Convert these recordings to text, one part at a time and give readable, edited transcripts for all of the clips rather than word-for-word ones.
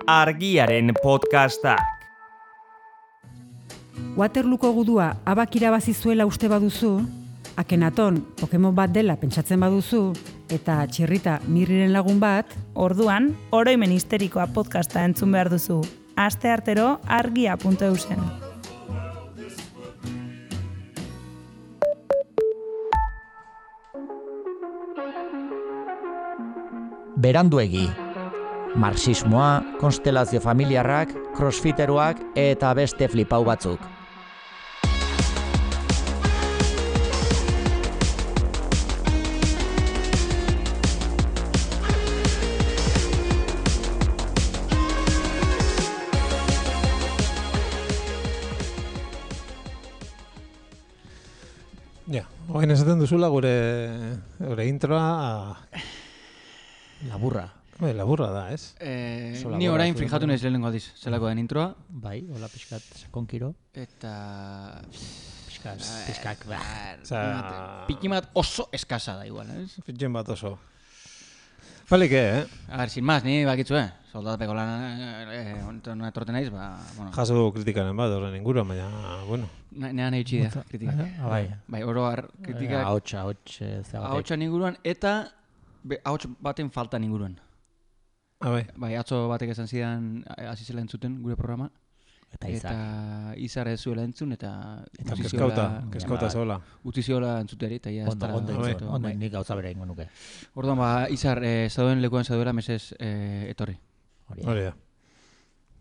Argiaren podcastak. Waterlooko gudua abak irabazi zuela uste baduzu, Akenaton Pokemon bat dela pentsatzen baduzu, eta Txirrita Mirriren lagun bat, orduan, oroimen histerikoa podcasta entzun behar duzu. Asteartero argia.eusen. Beranduegi. Marxismoa, konstelazio familiarrak, crossfiteruak eta beste flipau batzuk. Ja, orain esaten duzula gure introa Laburra. Laburra da, ez? Ni orain fijatu nahiz lehenengo aldiz, zelako den introa. Bai, hola pixkat sakonkiro. Eta... Pixkak, Pikimat oso eskasa da igual, ez? Pitxen bat oso. Balik, A ver, sin más, ni bakitzu, soldatapeko lan etorten naiz, bueno. Jaso dugu kritikaren bat, horren inguruan, baina, bueno. Nean egitsi da, kritikak. Bai, oro har kritikak. Ahotsa inguruan, eta ahots baten faltan inguruan. Bai, atzo batek esan zidan hasi zela entzuten gure programa. Eta Izar ez zuela entzun, eta kezkauta zola. Utzi ziola entzuteri, eta ja... Ondo nik gauza bera ingo nuke. Orduan, Izar, zauden lekuan zauduela, mesez etorri. Hori da.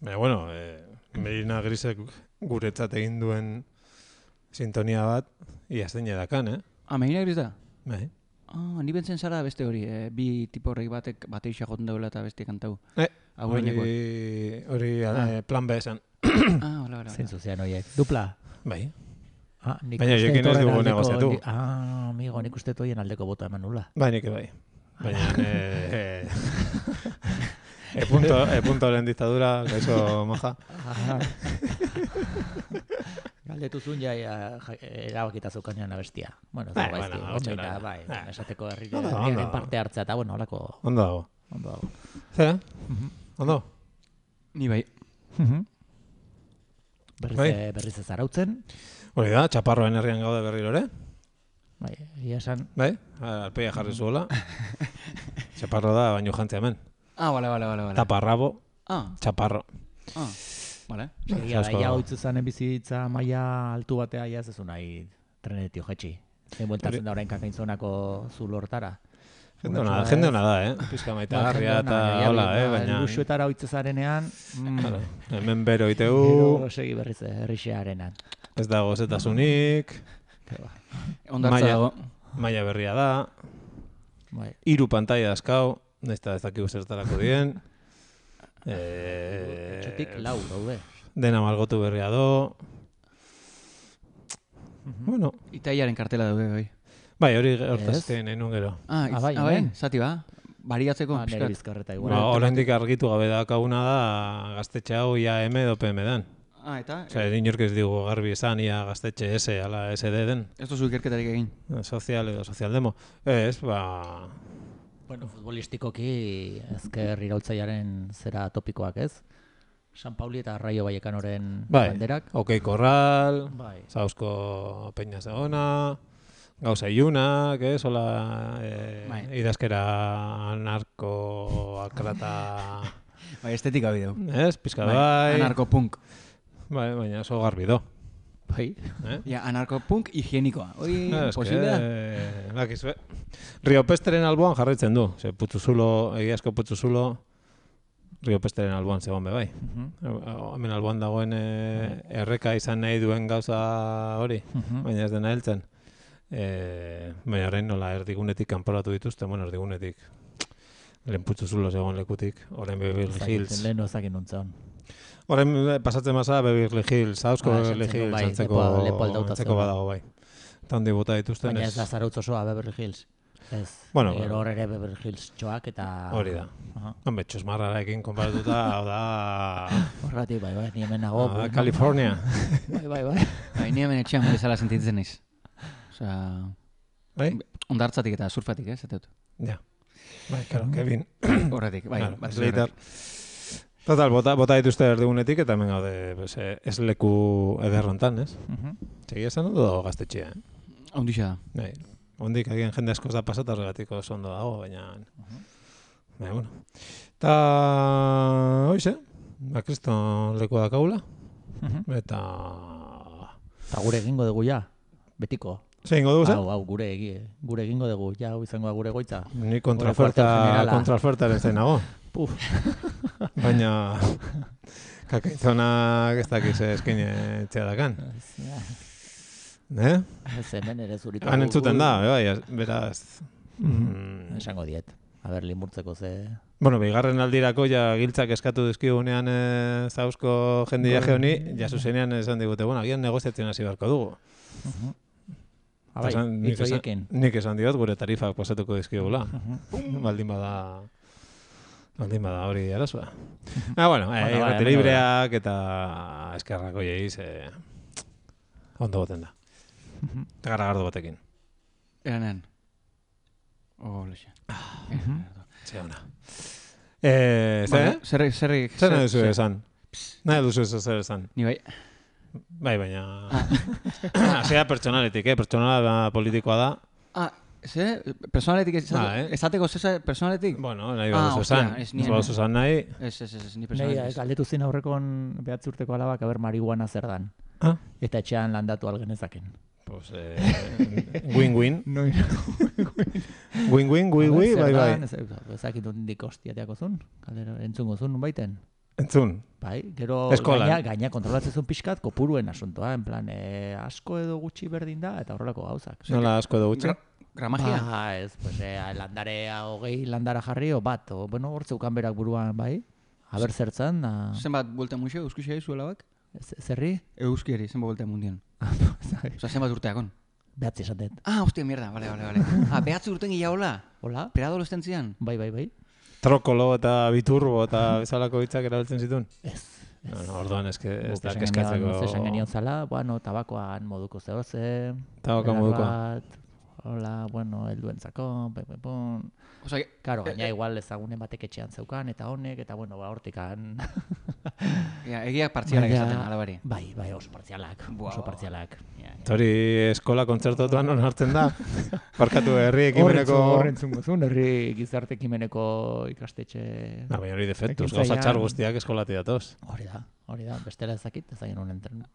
Baina, bueno, Merina Grisek guretzat egin duen sintonia bat, iazten edakan, Merina Gris da? Bai. Ni bentzen zara beste hori, bi tipo horrek batek bateixa joten dauela eta beste kantau. Hori plan B esan. Hola. Zein zuzean horiek. Dupla? Bai. Baina jokin ez dugu negoziatu. Amigo, nik uste toien aldeko bota eman nula. Bai, nik bai. Baina... puntoren dictadura, gaixo moja. Galdetu zuen erabakita zeukanean abestia. Bueno, bai, esateko herriaren parte hartzea eta, bueno, holako... Ondo dago. Zera? Ondo? Ni bai. Berriz ez arautzen. Hori da, Txaparroen herrian gaude berriro ere. Bai, egia esan. Bai, alpeia jarri zuela. Txaparro da, baino jantzea hemen. Bale. Taparrabo, Txaparro. Bale. Egia da, ia hoitzu zanen bizitza maila altu batea, ia ez ezu nahi trenetio jetxi. Zein bueltatzen da orain kakaintzonako zulortara. Jende hona da, Pizka maita garria eta hola, baina... Luxuetara hoitzu zarenean... Hemen bero itegu... Gero segi berriz herrixearenan. Ez dago zetasunik... Ondartza dago. Maila berria da... 3 pantaila dazkau, nahizta ez dakigu zertarako dien... Txotik 4 daude. Dena malgotu berria do... Bueno... Itaiaren kartela daude, bai. Bai, hori hortazten nahi nun gero. Bai, zati ba? Bariatzeko, nire bizkarreta igual. Oraindik argitu gabe dakaguna da gaztetxe hau IAM edo PM dan. Eta? Inork ez digu garbi esan ia gaztetxe S ala SD den. Ez duzu ikerketarik egin? Sozial edo sozialdemo. Ez, Bueno, futbolistikoki ezker iraultzaiaren zera topikoak ez? San Pauli eta Raio Vallecanoren banderak. Okei Korral, Zauzko Peña Zegona... Gauza iunak, hola, idazkera anarko-akrata... Bai, estetika bideu. Pizka bai. Anarko-punk. Bai, baina oso garbi do. Bai. Ja, anarko-punk higienikoa. Hoi, posible da? Rio Pesteren alboan jarraitzen du. Egiazko Putzuzulo, Rio Pesteren alboan zegoen be bai. Hemen alboan dagoen erreka izan nahi duen gauza hori, baina ez dena heltzen. Baina horrein nola erdigunetik kanporatu dituzte, erdigunetik lehen Putzuzulo zegoen lekutik, horrein Beverly Hills. Lehen ozakin nuntzen. Horrein pasatzen maza Beverly Hills, Zauzko Beverly Hills, antzeko badago bai. Eta hondi bota dituzten. Baina ez da zarautz osoa Beverly Hills. Ez, gero hor ere Beverly Hills txoak eta... Hori da. Hombre, txosmarrarekin konparatuta, hau da... Horratik, bai, ni hemen nago. California. Bai. Ni hemen etxean bezala sentitzen naiz. Ondartzatik eta surfatik, ez? Ja. Bai, claro, Kevin. Horretik, bai. Slater. Total, bota dituzte erdigunetik eta hemen gaude ez leku ederrontan, ez? Segia esan dut gaztetxea, Ondixa da. Ondik agian jende askoz da pasata horregatiko oso ondo dago, baina... bueno. Eta... Hoize, kriston leku dakagula. Eta gure egingo dugu ja, betiko. Zer ingo dugu, zer? Hau, gure egingo dugu, ja, hau izango gure goitza. Ni kontraofertaren zain nago. Puf. Baina, kakaizonak ez dakiz eskine etxea dakan. Ez hemen ere zuritu. Han entzuten da, beraz. Esango diet. Aber, limurtzeko ze... Bueno, bigarren aldirako ja giltzak eskatu dizkigunean zauzko jendia honi, ja zuzenean esan digute, bueno, agian negoziatzen hasi beharko dugu. Abai, hitzoiekin. Nik esan diot, gure tarifak pasatuko dizkigula. Baldin bada hori arazoa. Bueno, irrati libreak eta eskerrako jeiz ondo boten da. Eta garagardo batekin. Eranean. Lexe. Zer ona. Zer nahi duzu esan? Nahi duzu zer esan? Ni bai. Bai, baina... Zea pertsonaletik, pertsonala politikoa da. Personaletik esateko personaletik? Bueno, nahi baduzu esan. Ez baduzu esan nahi. Ez, ni personaletik. Galdetu zin aurrekon behatzi urteko alabak, aber marihuana zer dan. Eta etxean landatu algenezaken. Pues, win-win. Win-win, bai. Ezakit hondik hostiateako zun, entzungo zun, baiten. Entzun. Bai, gero gaina kontrolatzezun pixkat kopuruen asuntoa, en plan, asko edo gutxi berdin da, eta horrelako gauzak. Nola asko edo gutxi? Gramagia? Ez, pues, landarea 20 landara jarri, bat, bueno, hortzeukan berak buruan, bai, haber zertzan. Zenbat buelta muixo, euskixea izuela bak? Zerri? Euskiari, zenbat buelta mundian. Osa, zenbat urteakon? Behatzi esatet. Hostia, mierda, vale. Behatzi urten gila hola? Hola? Preadolescentzian? Bai. Trokolo eta biturbo eta bezalako hitzak erabiltzen zituen? Ez. Orduan ez da keskatzeko... Esan genion zala, bueno, tabakoan moduko zehoze... Tabakoan modukoa. Hola, bueno, helduentzako, pepepon... Karo, gaina igual ezagunen batek etxean zeukan, eta honek, eta bueno, hortikan... Egiak partzialak esaten, alabari. Bai, oso partzialak. Hori eskola kontzertotuan non hartzen da? Barkatu herri ekimeneko... Horrentzungo zuen, herri gizarte ekimeneko ikastetxe... Baina hori defektuz, gauza txar guztiak eskolati datoz. Hori da, bestela ezakit, ezagin honen tren.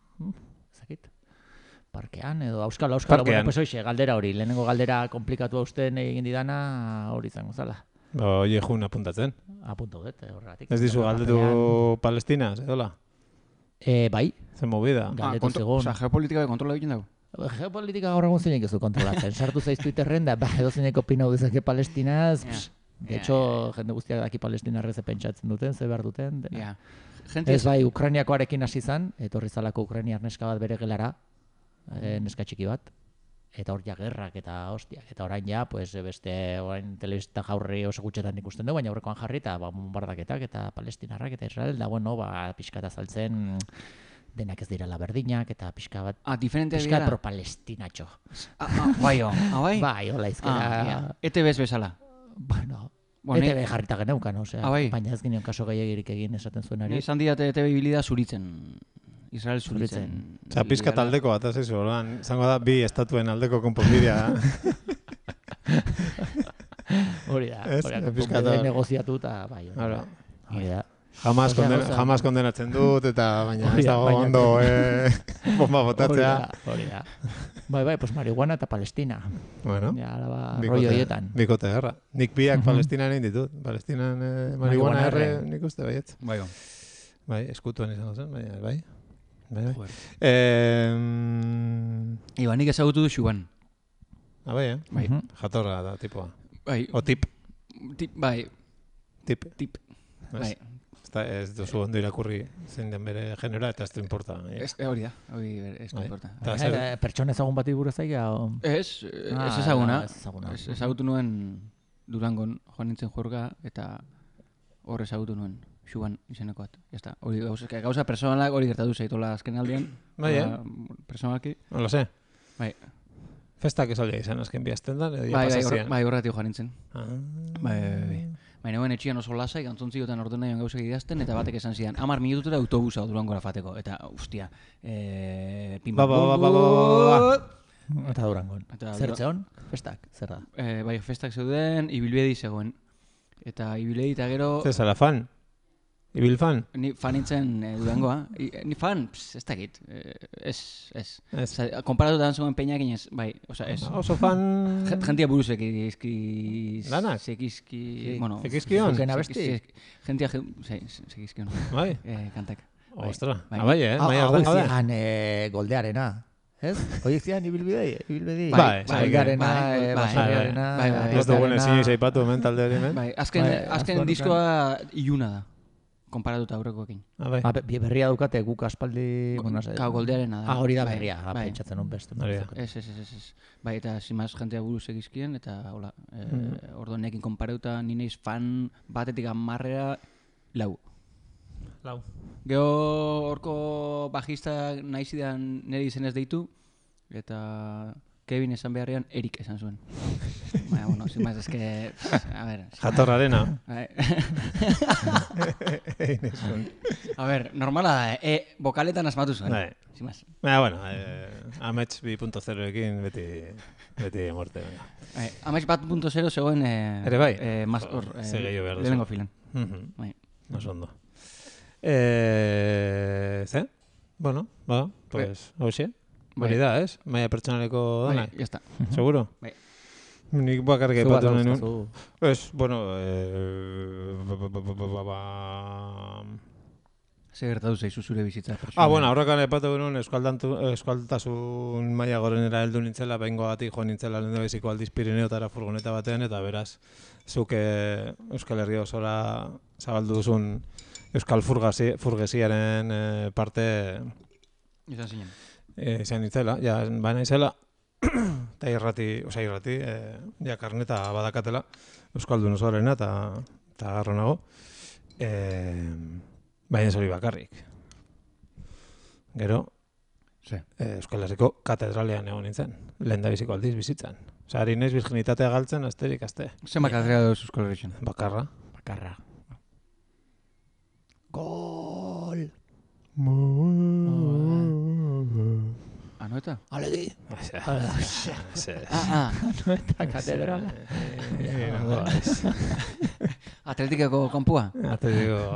Ezakit. Parkean, edo auskalo, bueno, pues hoxe, galdera hori, lehenengo galdera komplikatu hausten egin didana, hori izango zala. Oie, jun apuntatzen. Apuntu dut, horregatik. Ez dizu galdetu Palestina, edola? Bai. Zen movida. Galdetu zegoen. Osa, geopolitika de kontrola egin dago? Geopolitika gaur egun zeinek ezu kontrolatzen. Sartu zaiz Twitterren da, edo zeinek opinau dezake Palestinaz. De hecho, jende guztiak daki Palestinarrez pentsatzen duten, ze behar duten. Ez bai, Ukrainiakoarekin hasi zan, etorri zalako Ukrainiar neska bat bere gelara, neska txiki bat, eta hor ja gerrak eta hostiak, eta orain ja, pues, beste orain telebista jaurri oso gutxetan ikusten du, baina aurrekoan jarri eta bombardaketak eta palestinarrak eta Israel, da bueno, pixka eta saltzen denak ez direla berdinak eta pixka bat, pixka pro-palestinatxo. Bai? Bai, hola izkera. ETB bezala. Bueno, ETB jarrita geneukan, baina ez gineon kaso gehiagirik egin esaten zuenari. Esan diat ETB ibilida zuritzen. Israel zuritzen. Osa, pizka taldeko bat, ez izu, zango da, bi estatuen aldeko konponbidea. Hori da, konponbidea negoziatu eta bai. Hori da. Jamás kondenatzen dut, eta baina ez dago ondo bomba botatzea. Hori da. Bai, pues marihuana eta Palestina. Bueno, bikote gerra. Nik biak Palestinan egin ditut. Palestinan marihuana erre nik uste baietz. Bai, eskutuan izango zen, bai. Iba, nik ezagutu du Xuban. Bai, jatorra da, tipoa. Bai. O tip. Bai. Tip. Bai. Ez duzu ondo irakurri zein den bere genera, eta ez du importa. Hori da, hori ez du importa. Pertsona ezagun bati buruz aiga? Ez ezaguna. Ez ezagutu nuen Durangon joan nintzen jorga, eta hor ezagutu nuen. Xuban izenekoat. Hori gauza personalak hori gertatu zaitola azken aldean. Bai, personalki. Hola, ze. Bai. Festak ez aldia izan azken bihazten da? Bai, horretik joan nintzen. Bai. Baina etxian oso lasai, gantzontzigotan ordu nahian gauzak idazten, eta batek esan zidan, 10 minututera autobusa Durangora fateko. Eta, ustia, Eta Durangon. Zertzeon? Festak, zer da? Bai, festak zeuden, ibilbedi zegoen. Eta ibilbedi eta gero... Zer zara fan? Ibil fan? Ni fan nintzen Durangoa. Ni fan, ez dakit. Ez. Konparatutan zegoen peinak inez, bai, oza, ez. Oso fan... Gentia buruz sekizki... Lanak? Sekizki... Bueno... Sekizkion? Zuken abesti? Gentia... Sekizkion. Bai? Kantak. Ostra, bai, Hau goldearena. Ez? Hoiek zian ibilbidei? Bai, goldearena, baserriarena... Ez dugun ezin izaipatu hemen talde hori hemen? Bai, azken diskoa iluna da. Konparatuta aurrekoekin. Berria dukate guk aspaldi... Goldearena da. Hori da berria, pentsatzen hon beste. Ez. Bai, eta zimaz jentea buruz egizkien, eta hola, ordo nekin konparatuta nineiz fan batetik 10 lau. Gero horko bajista nahi zidan nire izenez deitu, eta Kevin esan beharrean Erik esan zuen. Baina, bueno, sin más, eske... A ver... Jatorrarena. A ver, normala da, bokaletan asmatu zuen. Sin más. Baina, bueno, Amets 2.0ekin beti morte. Amets 2.0 zegoen... Ere bai? Segeiu behar duzu. Lehenengo filan. Oso ondo. Ze? Bueno, pues, hauxe. Hori da, ez? Maia pertsonaleko dana. Bai, jazta. Seguro? Bai. Nik bakarrik aipatu nenun. Ez, bueno... Zer gertatu zaizu zure bizitza? Bueno, aurrekan aipatu genuen euskaltasun maila gorenera heldu nintzela, behingoagatik joan nintzela lehendabiziko aldiz Pirineotara furgoneta batean, eta beraz, zuk Euskal Herria osora zabaldu duzun Euskal Furgesiaren parte... Izan zinen. Izan nintzela, baina izela, eta irrati, karneta badakatela, Euskaldun osoarena, eta garro nago. Baina ez hori bakarrik. Gero, Euskal Herriko katedralean egon nintzen, lehendabiziko aldiz bizitzan. Osa, ari naiz virginitatea galtzen, asterik aste. Zer katedral duz Euskal Herritzen? Bakarra. Gol! Anoeta? Alegi! Anoeta katedrala. Atletikako kanpua? Atletikako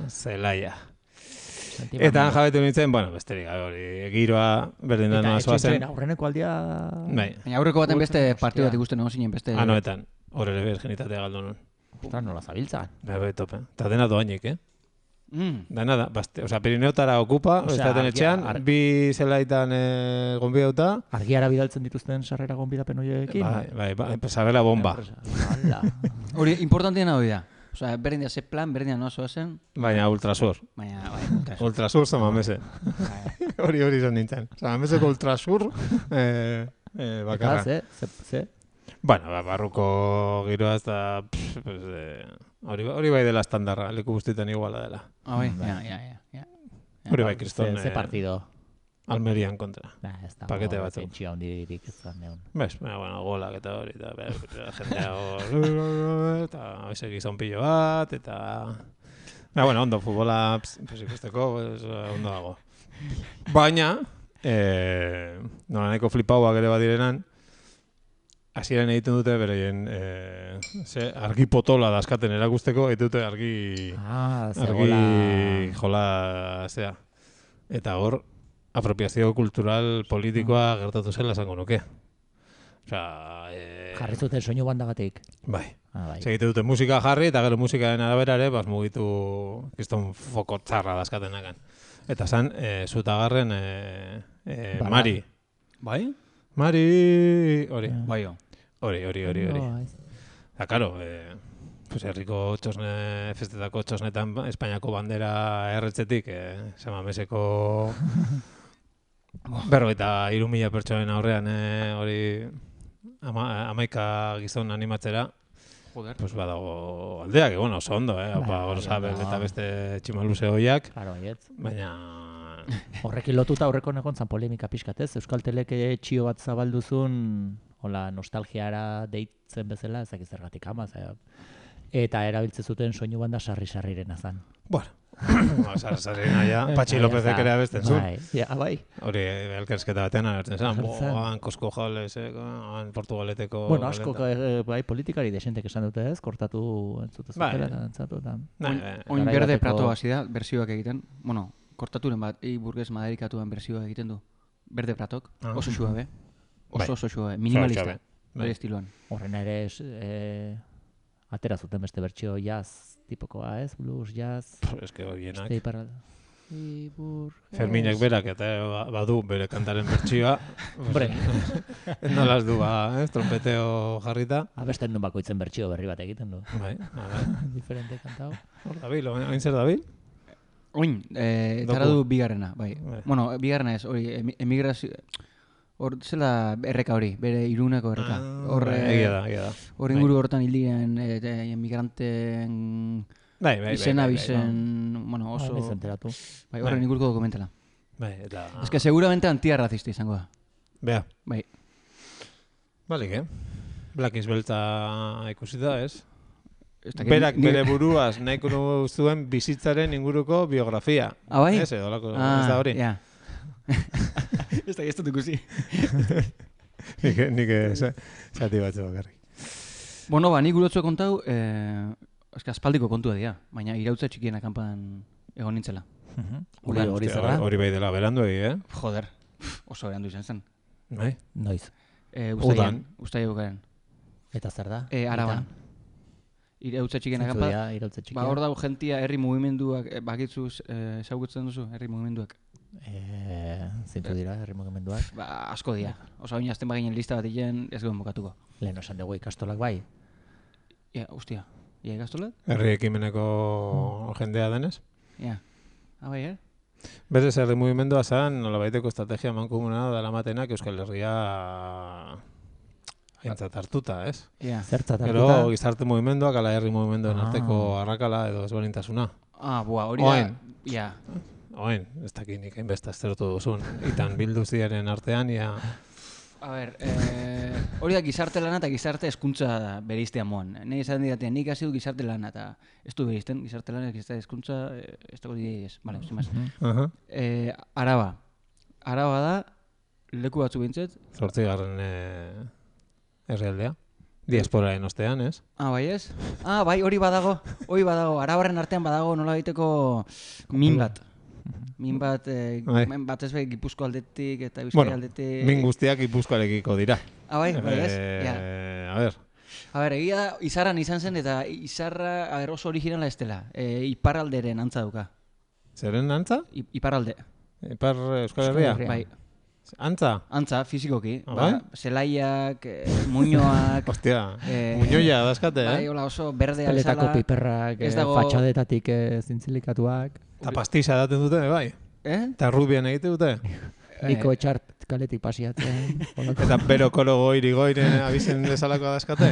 zelaia. Eta han jabetu nintzen, besterik, hori, giroa berdin da noa zoazen. Eta aurreneko aldia... Baina aurreko baten beste partidu bat ikusten egon zinen beste... Anoetan, hor ere virginitatea galdu nun. Ostras, nola zabiltzan. Bai, tope. Eta dena doainik, Dena da, Pirineotara okupa, estaten etxean, bi zelaitan gonbidauta. Argiara bidaltzen dituzten sarrera gonbidapen horiekin? Bai, sabela bomba. Hori, importantiena hori da. Osa, berdin da ze plan, berdin da noa zoazen. Baina ultrasur. Ultrasur zamamese. Hori izan nintzen. Zamameseko ultrasur bakarra. Eta, ze? Bueno, barruko giroa ez da... Hori bai dela estandarra, leku guztietan iguala dela. Bai, ja. Hori bai, kriston... Ze partido? Almerian kontra. Pakete batzuk. Pentsio handirik ez da neon. Bez, golak eta hori, eta jendea hor... Eta hoize gizon pillo bat, eta... Ondo, futbola ikusteko, ondo dago. Baina, nola nahiko flipauak ere badirenan, hasieran egiten dute bereien argi potola daskaten erakusteko, egiten dute argi jola zea. Eta hor, apropiazio kultural politikoa gertatu zela esango nuke. Jarri zuten soinu bandagatik. Bai. Egiten dute musika jarri, eta gero musikaren arabera ere, mugitu kiston foko txarra daskatenakan. Eta zan, zutagarren Mari. Bai? Mari... Hori. Bai, Hori. Eta, karo, herriko festetako txosnetan Espainiako bandera erretzetik, Samameseko 53.000 pertsonen aurrean, hori 11 gizon animatzera, pues badago aldeak, oso ondo, Gorosabel eta beste tximaluze hoiak, baina... Horrekin lotuta aurreko negontzan polemika pixkatez, Euskaltelek txio bat zabalduzun, hola, nostalgiara deitzen bezala, ezak zergatik ama, Eta erabiltze zuten soinu banda sarri-sarrirena zan. Bueno, sarri-sarrirena ja, Patxi Lópezek ere abesten zuen. Bai. Hori, elkarrizketa batean agertzen zan. Kosko jales, Portugaleteko... Bueno, asko, bai, politikari desentek esan dute ez, kortatu entzute zutela, entzatu. Oin berde prato hasi da, bersioak egiten. Bueno, kortaturen bat, burgez maderikatuan bersioak egiten du. Berde pratok, oso suabe. Oso suabe, minimalista. Bere estiloan. Horren ere atera zuten beste bertsio jazz tipokoa, ez? Blues, jazz... Ez que horienak. Ferminek berak eta badu bere kantaren bertsioa. Hombre. Nolaz du, trompeteo jarrita. Abesten duen bakoitzen bertsio berri bat egiten du. Bai, Diferente kantau. Hor dabil, oin zer dabil? Oin, zara du bigarrena, bai. Bueno, bigarrena ez, hori, emigrazio... Hor zela erreka hori, bere Iruneko erreka. Egia da. Hor inguru hortan hildien emigranten izena bizen, bueno, oso... Bai, horren inguruko dokumentala. Bai, eta... Ez que seguramente antiarrazista izango da. Bea. Bai. Balik, Black is Beltza ikusita, ez? Berak bere buruaz nahiko zuen bizitzaren inguruko biografia. Ah, bai? Ez da hori. Ja. Ez da, ez dut ikusi. Nik zati batzu bakarrik. Bueno, nik gurotzu kontau, aspaldiko kontua dira, baina irautza txikien akampan egon nintzela. Hori zara? Hori bai dela, berandu egi, Joder, oso berandu izan zen. Bai? Noiz? Ustaia bukaren. Eta zer da? Araban. Irautza txikien akampan. Ba, hor dago jentia herri mugimenduak, bakitzuz ezagutzen duzu, herri mugimenduak. Zintu dira, herri mugimenduak? Ba, asko dira. Osa baina azten baginen lista bat egin ez guen bukatuko. Lehen osan dugu ikastolak bai? Ja, ustia. Ia ikastolak? Herri ekimeneko jendea denez? Ja. Bai, Berez herri mugimendua zan, nolabaiteko estrategia mankomuna dela matenak Euskal Herria aintzat hartuta, ez? Ja. Zertzat hartuta? Gero gizarte mugimenduak ala herri mugimenduen arteko arrakala edo ezberdintasuna. Hori da. Ja. Oen, ez dakinik hainbesta aztertu duzun. Itan bilduziaren artean, ja... A ber, hori da gizarte lana eta gizarte hezkuntza bereiztea moan. Nei esan didatean, nik hasi du gizarte lana eta ez du bereizten, gizarte lana, gizarte hezkuntza, ez dago didei ez. Vale, sin más. Araba. Araba da, leku batzu bintzet. 8. herrialdea. Diasporaren ostean, ez? Bai ez? Bai, hori badago. Arabarren artean badago nola egiteko min bat. Min bat ez bai Gipuzko aldetik eta Bizkaia aldetik... Min guztiak Gipuzkoarekiko dira. Bai, ez? A ber, egia da, Izarran izan zen eta Izarra oso originala ez dela. Iparralderen antza duka. Zeren antza? Iparralde. Ipar Euskal Herria? Bai. Antza? Antza, fizikoki. Zelaiak, muñoak... Ostia, muñoia dazkate, Bai, hola oso berdea bezala. Peletako piperrak, fatxadetatik zintzilikatuak. Eta pastiza daten dute, bai? Eta rubian egite dute? Niko etxart kaletik pasiatzen. Eta bero kolo goiri-goiren abizen dezalakoa dazkate?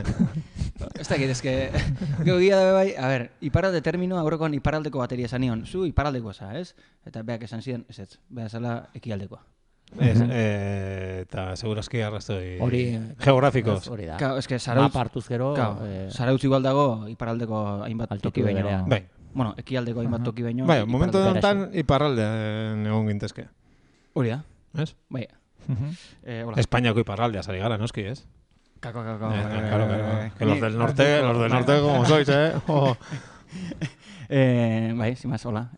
Ez dakit, ezke... Gero gira dabe bai, a ber, iparralde terminoa aurrekoan iparraldeko bateria esan nion. Zu iparraldekoa za, ez? Eta beak esan ziren, ez, beha zala ekialdekoa. Eta segurazki arrazoi geografikoz. Hori da. Ez que Zarautz gero... Zarautz igual dago iparraldeko hainbat toki baino. Bai. Bueno, ekialdeko hainbat toki baino. Bai, momentu honetan iparraldean egon gintezke. Hori da. Ez? Bai. Espainiako iparraldea zari gara, noski, ez? Claro. Que los del norte como sois, Bai, sin más, hola.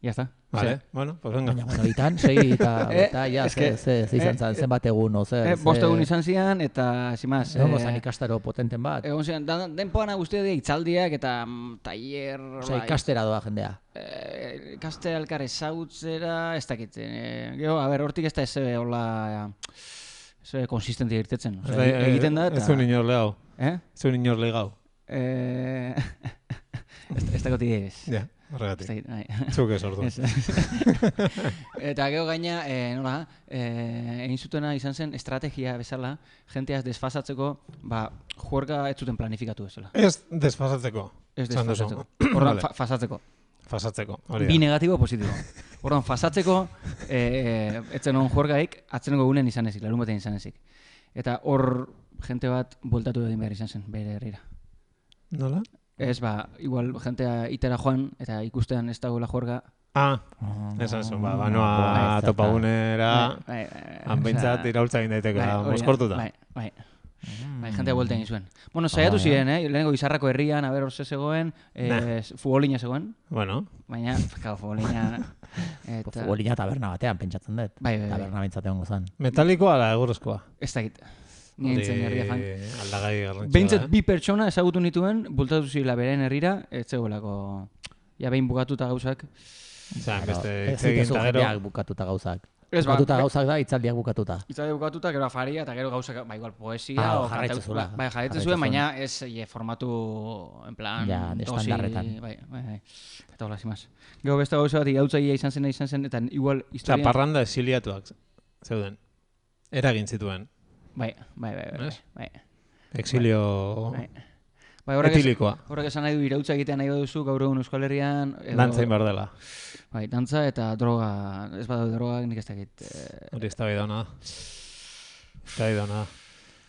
Ya está. Vale, bueno, pues venga. Bueno, itan, segi eta ja, ze izan zen, zenbat egun, oze. 5 egun izan zian, eta, zimaz... Egon gozan ikastaro potenten bat. Egon zian, denpoan guztia dira itzaldiak eta taller... Osa, ikastera doa jendea. Ikastera elkar ezagutzera, ez dakitzen. Gero, a ber, hortik ez da eze hola... Eze konsistente irtetzen. Egiten da eta... Ez un inor lehau. Ez un inor lehau. Ez da goti ez. Ja. Horregatik. Zuk ez ordu. Eta gero gaina, nola, egin zutena izan zen estrategia bezala, jenteaz desfasatzeko, juerga ez zuten planifikatu bezala. Ez desfasatzeko. Ez desfasatzeko. Horran, fasatzeko. Fasatzeko, hori da. Bi negatibo, positibo. Horran, fasatzeko, etzen hon juergaik, atzeneko gunen izan ezik, larun batean izan ezik. Eta hor, jente bat bueltatu egin behar izan zen, bere herrira. Nola? Ez, igual jentea itera joan, eta ikustean ez dagoela juerga. Esan zuen, banoa topagunera, hanbeintzat iraultza egin daiteke, moskortuta. Bai, jentea buelten izuen. Bueno, saiatu ziren, lehenengo Izarrako herrian, hor zegoen, futbolina zegoen. Bueno. Baina, futbolina... Futbolina taberna batean, pentsatzen dut. Taberna bintzatean gozan. Metalikoa ala egurrezkoa? Ez dakit. Nintzen herria fan. Aldagai garrantzua. Behintzat bi pertsona ezagutu nituen, bultatu zila beren herrira, ez zegoelako... Ja, behin bukatuta gauzak. Beste itzegin eta gero... bukatuta gauzak. Bukatuta gauzak da, itzaldiak bukatuta. Itzaldiak bukatuta, gero afaria, eta gero gauzak, igual poesia... Jarraitzen zula. Jarraitzen zuen, baina ez formatu, en plan... Ja, estandarretan. Bai. Eta hola, zimaz. Gero beste gauza bat, igautzaia izan zen, eta igual historia... Parranda exiliatuak zeuden. Eragin zituen. Bai. Exilio... Etilikoa. Horrek esan nahi du irautza egitea nahi baduzu gaur egun Euskal Herrian... Dantzain behar dela. Bai, dantza eta droga, ez badau droga nik ez dakit. Hori ez da bai dauna da. Ez da bai dauna da.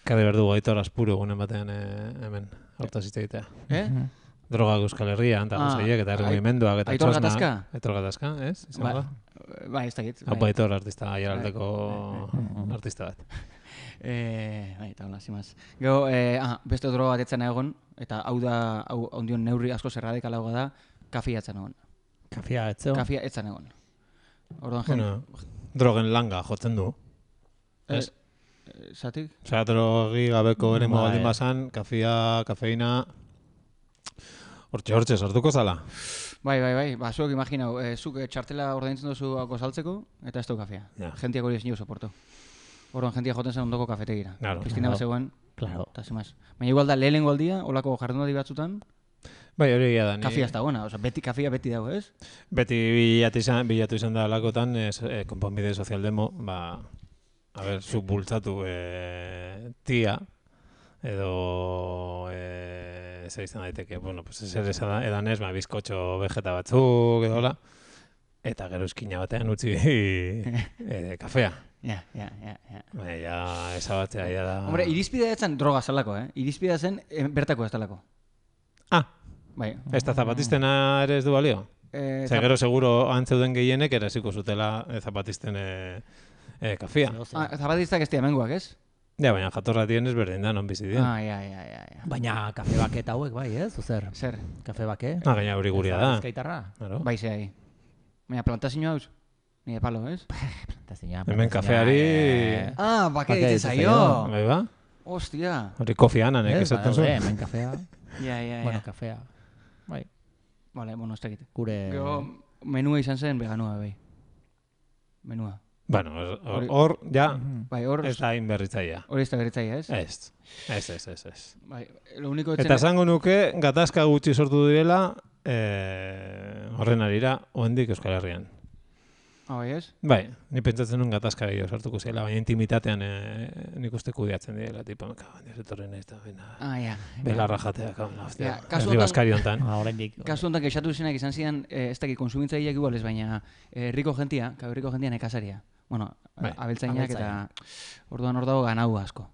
Kade berdu Aitor Aspuru egunen batean hemen, hortaz hitz egitea. Droga Euskal Herrian, eta guztiak, eta erregimenduak, eta Aitor Gatazka? Aitor Gatazka, ez? Bai, ez dakit. Hau Aitor artista, aiaraldeko artista bat. Eta hola, zimaz. Gero, beste droga bat etzen egon, eta hau ondion neurri asko zerradikalagoa da, kafia etzen egon. Kafia etzeo? Kafia etzen egon. Drogen langa jotzen du. Zatik? Osea, drogi gabeko ere baldin bazan, kafeina... Hortxe sartuko zala. Bai. Zuek imaginau, zuk txartela ordaintzen duzu hauko saltzeko, eta ez du kafea. Gentiak hori ezin soporto. Orduan jentia joten zen ondoko kafetegira. Kristina bazegoen, eta zemaz. Baina igual da, lehenengo aldia, olako jardunaldi batzutan, bai, hori egia da. Kafia ez da gona, kafia beti dago, ez? Beti bilatu izan da alakotan, konponbide sozialdemo, zuk bultzatu tia, edo zer izan daiteke, zer edan ez, bizkotxo vegeta batzuk, edo hola, eta gero eskina batean utzi kafea. Ja. Ja, esabatzea, ja da... Hombre, irizpidea etzen droga zalako, Irizpidea zen bertako ez talako. Bai. Ez da zapatistena ere ez du balio? Gero seguro antzeuden gehienek eraziko zutela zapatisten kafia. Zapatistak ez diamengoak, ez? Ja, baina jatorra dienez berdin da, non bizi dien. Ja. Baina kafe bake eta hauek bai, ez? Zer? Kafe bake? Gaina hori guria da. Ezkaitarra? Bai, zehai. Baina plantazioa hauz? Ni de palo, ez? Plantazioa. Hemen kafeari... Bake ditzen zaio. Bai ba? Ostia. Hori Kofi Annanek esaten zuen. Hemen kafea. Ja. Bueno, kafea. Bai. Vale, bueno, ez dakit. Gure... Gero, menua izan zen veganua, bai. Menua. Bueno, hor, ja, ez da inberritzaia. Hori ez da berritzaia, ez? Ez. Bai, lo único... Eta esango nuke, gatazka gutxi sortu direla, horren arira, oendik Euskal Herrian. Bai, ez? Bai, ni pentsatzen nuen gatazka gehiago sortuko zela, baina intimitatean nik uste kudeatzen direla, tipo, etorren ez da, belarra jatea, hostia, herri baskari hontan. Kasu hontan, kexatu zinak izan zidan, ez dakit konsumintzaileak igual ez, baina herriko jentia nekasaria. Bueno, abeltzainak eta orduan hor dago ganau asko.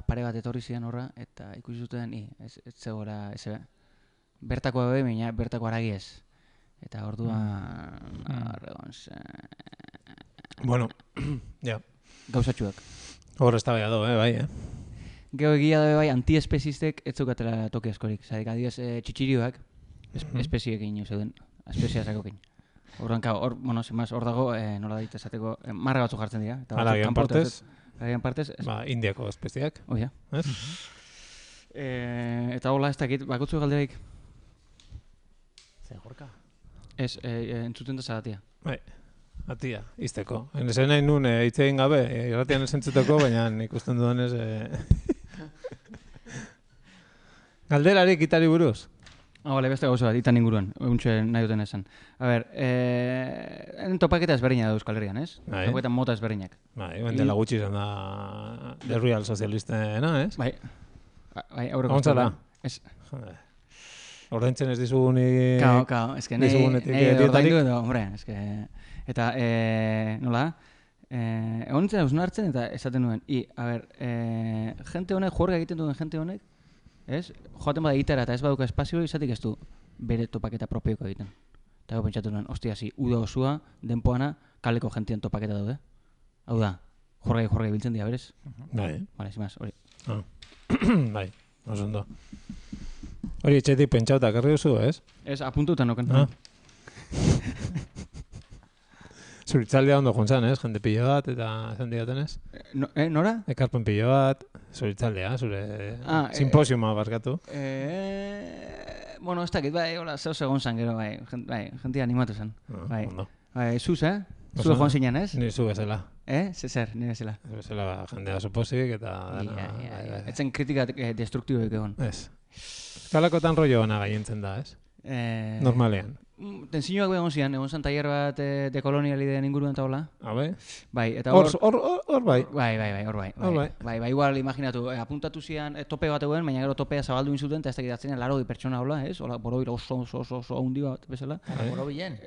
Pare bat etorri zidan horra, eta ikusi zuten, ez zegoela, bertako ebe, baina bertako aragi ez. Eta orduan... Bueno, ja. Gauzatxuak. Hor ez da beha do, bai, Gero egia da bai, antiespezistek ez zukatela toki askorik. Zadik, adioz, txitxirioak, espeziekin zeuden, espeziazakokin. Orduan, bueno, zenbaz, hor dago, nola daite esateko, marra batzuk jartzen dira. Halagian partez? Halagian partez. Indiako espeziak. Oia. Eta hola, ez dakit, bakotzu galderaik. Zer jorka? Ez, entzuten da zagatia. Bai, atia, izteko. Ezen nahi nun, hitz egin gabe, irratian ez entzuteko, baina ikusten dudanez... Galderari kitari buruz? Bale, beste gauza bat, itan inguruan, untxe nahi duten esan. A ber, topaketa ezberdina da Euskal Herrian, ez? Topaketa mota ezberdinak. Bai, dela gutxi izan da derruial sozialistena, ez? Bai, aurreko... Gontzala? Ez. Ordaintzen ez dizugunik... Kao, eske nahi ordaindu edo, hombre, eske... Eta, nola? Egon nintzen hausna hartzen eta esaten nuen. A ber, jente honek, juerga egiten duen jente honek, ez? Joaten bada egitera eta ez baduka espazio, izatik ez du bere topaketa propioko egiten. Eta gau pentsatu nuen, ostia, uda osua, denpoana, kaleko jentien topaketa daude. Hau da, jorgai biltzen dira, berez? Bai. Vale, zimaz, hori. Bai, oso ondo. Hori etxetik pentsauta, karri duzu, ez? Ez, apuntutan noken. Zuritzaldea ondo juntzan, ez? Jende pilo bat, eta esan digaten, ez? Nora? Ekarpen pilo bat, zuritzaldea, zure simposiuma barkatu. Bueno, ez dakit, bai, hola, zeu segon zan gero, bai, jentia animatu zen. Bai, zuz, Zue joan zinen, ez? Ni zu bezala. Zer, ni bezala. Bezala jendea supozik eta dana. Etzen kritika destruktiboik egon. Ez. Kalakotan rollo ona gaientzen da, ez? Normalean. Tensioak egon zian, egon zan tailer bat dekolonialideen inguruan eta hola. Bai, eta hor bai. Bai, hor bai. Bai, igual imaginatu, apuntatu zian tope bat eguen, baina gero topea zabaldu inzuten, eta ez dakit atzenen 80 pertsona hola, ez? Hola, borobila oso handi bat, bezala. Borobilen?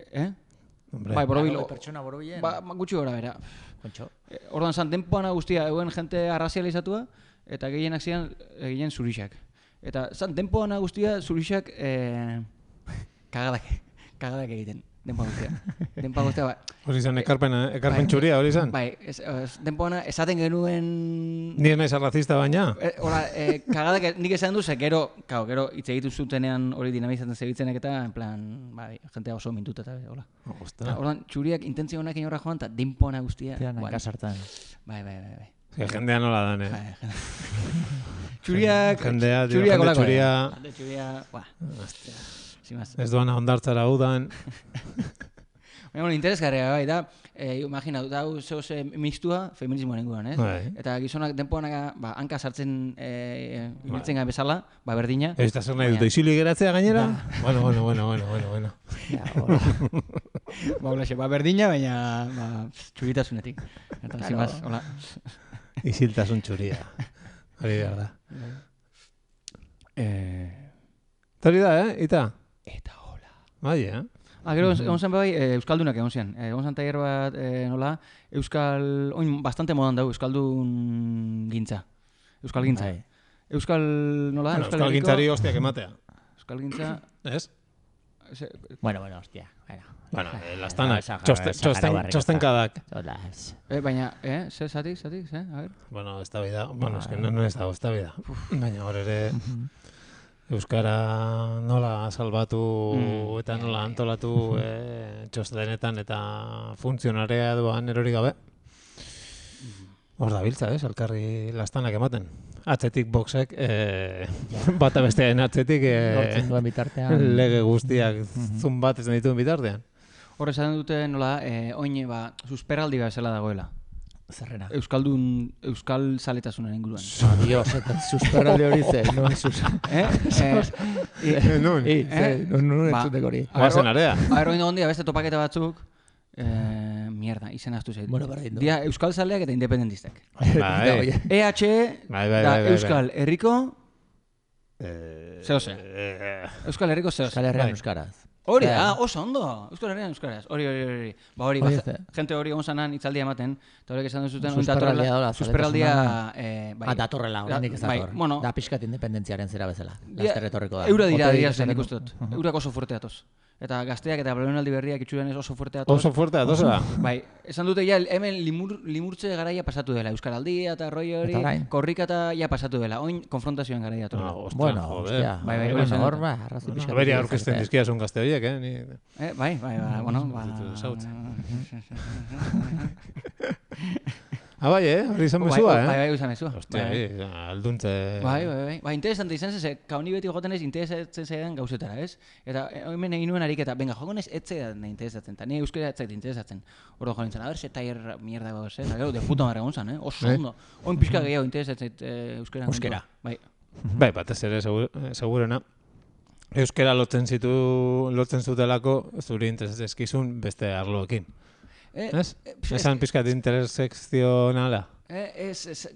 Bai, borobilo. Pertsona borobilen? Ba, gutxi gora bera. Kontxo. Orduan zan, denpoana guztia, eguen jente arrazializatua, eta gehienak zian, eginen zurixak. Eta zan, denpoana guztia, zurixak kagadak egiten. Denpoa guztia, bai. Hori izan, ekarpen txuria, hori izan? Bai, denpoana, esaten genuen... Ni ez naiz arrazista baina? Hora, kagadak nik esan duz, gero hitz egitu zutenean hori dinamizatzen zebitzenek eta, en plan, bai, jentea oso mintuta eta, hola. Orduan, txuriak intentzio honak horra joan, eta denpoana guztia... Kasartan. Bai. Jendea nola dan, Txuriak... Jendea, ez doana ondartzara udan. Bueno, interesgarria bai, da, imagina, da, zehose mixtua feminismoan inguruan, ez? Eta gizonak denpoanak, hanka sartzen ibiltzen gara bezala, berdina. Ez da zer nahi dute, isili geratzea gainera? Bueno. Berdina, baina txuritasunetik. Eta, zimaz, hola. Isiltasun txuria. Hori behar da. Hori da, Ita? Eta hola. Bai, Gero, egon zen bai, Euskaldunak egon zian. Egon zen tailer bat, nola, oin bastante modan dago, Euskaldun gintza. Euskal gintza. Euskal, nola, Euskal gintzari hostiak ematea. Euskal gintza... Ez? Bueno, hostia. Bueno, lastanak, txostenkadak. Baina, zer, zatik, a ver? Bueno, ez da bida, ez da bida. Baina hor ere... Euskara nola salbatu eta nola antolatu txostenetan eta funtzionarea duan erori gabe. Hor da biltza, elkarri lastanak ematen. Atzetik boxek, bata bestearen atzetik lege guztiak zun bat ez dituen bitartean. Hor esaten dute nola, oin susperraldi bezala dagoela. Zerrena. Euskal zaletasunaren inguruan. Dios, susperraldi hori ze, non sus. Nun entzuteko hori. Oazen area. Hori ondia beste topaketa batzuk, mierda, izen aztu zaitu. Dia Euskal zaleak eta independentistak. EHE da Euskal Herriko zeose. Euskal Herriko zeose. Euskal Herrian Euskaraz. Hori, oso ondo, Euskal Herrian Euskaraz, hori. Ba hori, jente hori onzanan itzaldia ematen, eta horrek esan duzuten, susperraldia... datorrela, horrendik ez dator. Da pixkat independentziaren zera bezala, laster etorriko da. Eura dira zen ikustut, eurak oso fuerte atoz. Eta gazteak eta belaunaldi berriak itxuren ez oso fuerte atoz. Oso fuerte atoz, da? Bai, esan dute ja, hemen limurtze garaia pasatu dela, Euskaraldia eta roi hori, korrika eta ja pasatu dela, oin konfrontazioan garaia atorla. Bueno, hostia, hor ba, arrazi pixkat. Beria aurkezten dizkia zun gazte horiek, Bai, bueno, bai, hori izan mezua, Bai, izan mezua. Hostia, alduntze... Bai, interesante izan ze, kauni beti joten ez interesatzen zaidan gauzetara, ez? Eta hemen egin nuen ariketa, venga, jogon ez etzaidan interesatzen, eta ni euskera etzait interesatzen. Horro joan nintzen, a ver, ze taier mierda gauz, eta gero, de puta marra gontzan, oso ondo. Oin pixka gehiago interesatzen euskera. Bai, batez ere, segurena. Euskera lotzen zutelako, zuri interesezkizun beste arloekin. Ez? Esan pixkat intersekzionala.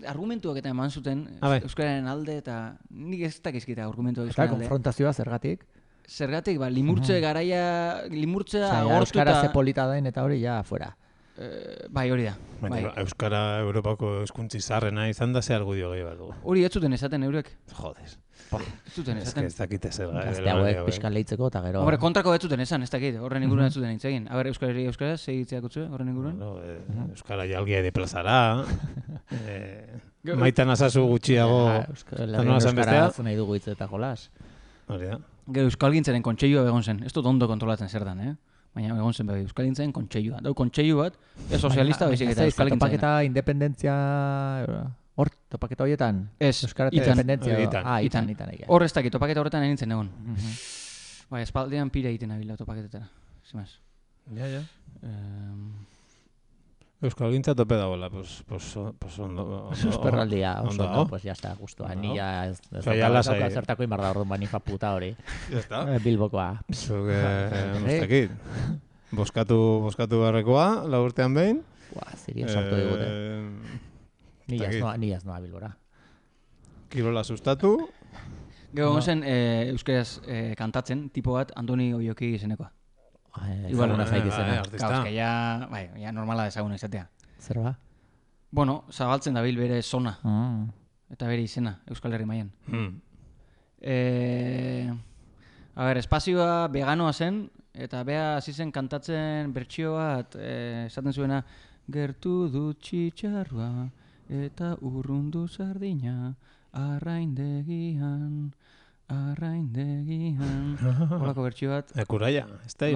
Argumentuak eta eman zuten euskararen alde eta nik ez dakizkita argumentuak euskararen alde. Eta konfrontazioa zergatik? Zergatik, limurtze garaia, limurtzea agortu eta... Euskara ze polita dain eta hori ja fuera. Bai, hori da. Euskara Europako hizkuntzi zaharrena izan da ze argudio gehi bat dugu. Hori ez zuten esaten eurek. Jodes. Ez zuten esaten. Ez dakite zer. Gazte hauek pixkan lehitzeko eta gero... Hombre, kontrako ez zuten esan, ez dakit, horren inguruan ez zuten egin. A ber, Euskaraz, segitzeak utzu, horren inguruan? Euskara jalgia de plazara. Maitan azazu gutxiago... Euskara nahi dugu hitz eta jolas. Gero Euskalgintzaren kontseilua begon zen, ez dut ondo kontrolatzen zer dan, baina egon zen bebe, Euskalgintzaren kontseilua. Dau kontseilu bat, ez sozialista baizik eta Euskalgintzaren. Topaketa independentzia... Hor, topaketa horietan? Ez, itan. Hor ez dakit, topaketa horretan egintzen egon. Bai, espaldean pira egiten abila topaketetara. Zimaz. Ja. Euskalgintza tope dagoela, pues ondo. Susperraldia, oso ondo, pues ya está, gustua. Ni ya ez dauka zertako inbarda orduan banifa puta hori. Ya está. Bilbokoa. Zuke, mostakit. Boskatu barrekoa, laurtean behin. Ziria sartu digute. Ni ez noa Bilbora. Kirola sustatu. Gero zen euskaraz kantatzen, tipo bat Andoni Oioki izenekoa. Igual una zaik izena. Gauz, que ya normala dezagun izatea. Zer ba? Bueno, zabaltzen dabil bere zona. Eta bere izena, Euskal Herri mailan. A ber, espazioa veganoa zen, eta bea hasi zen kantatzen bertsio bat, esaten zuena, gertu du txitxarrua, eta urrundu sardina, arraindegian. Horako bertxio bat. Ekuraia, ez da?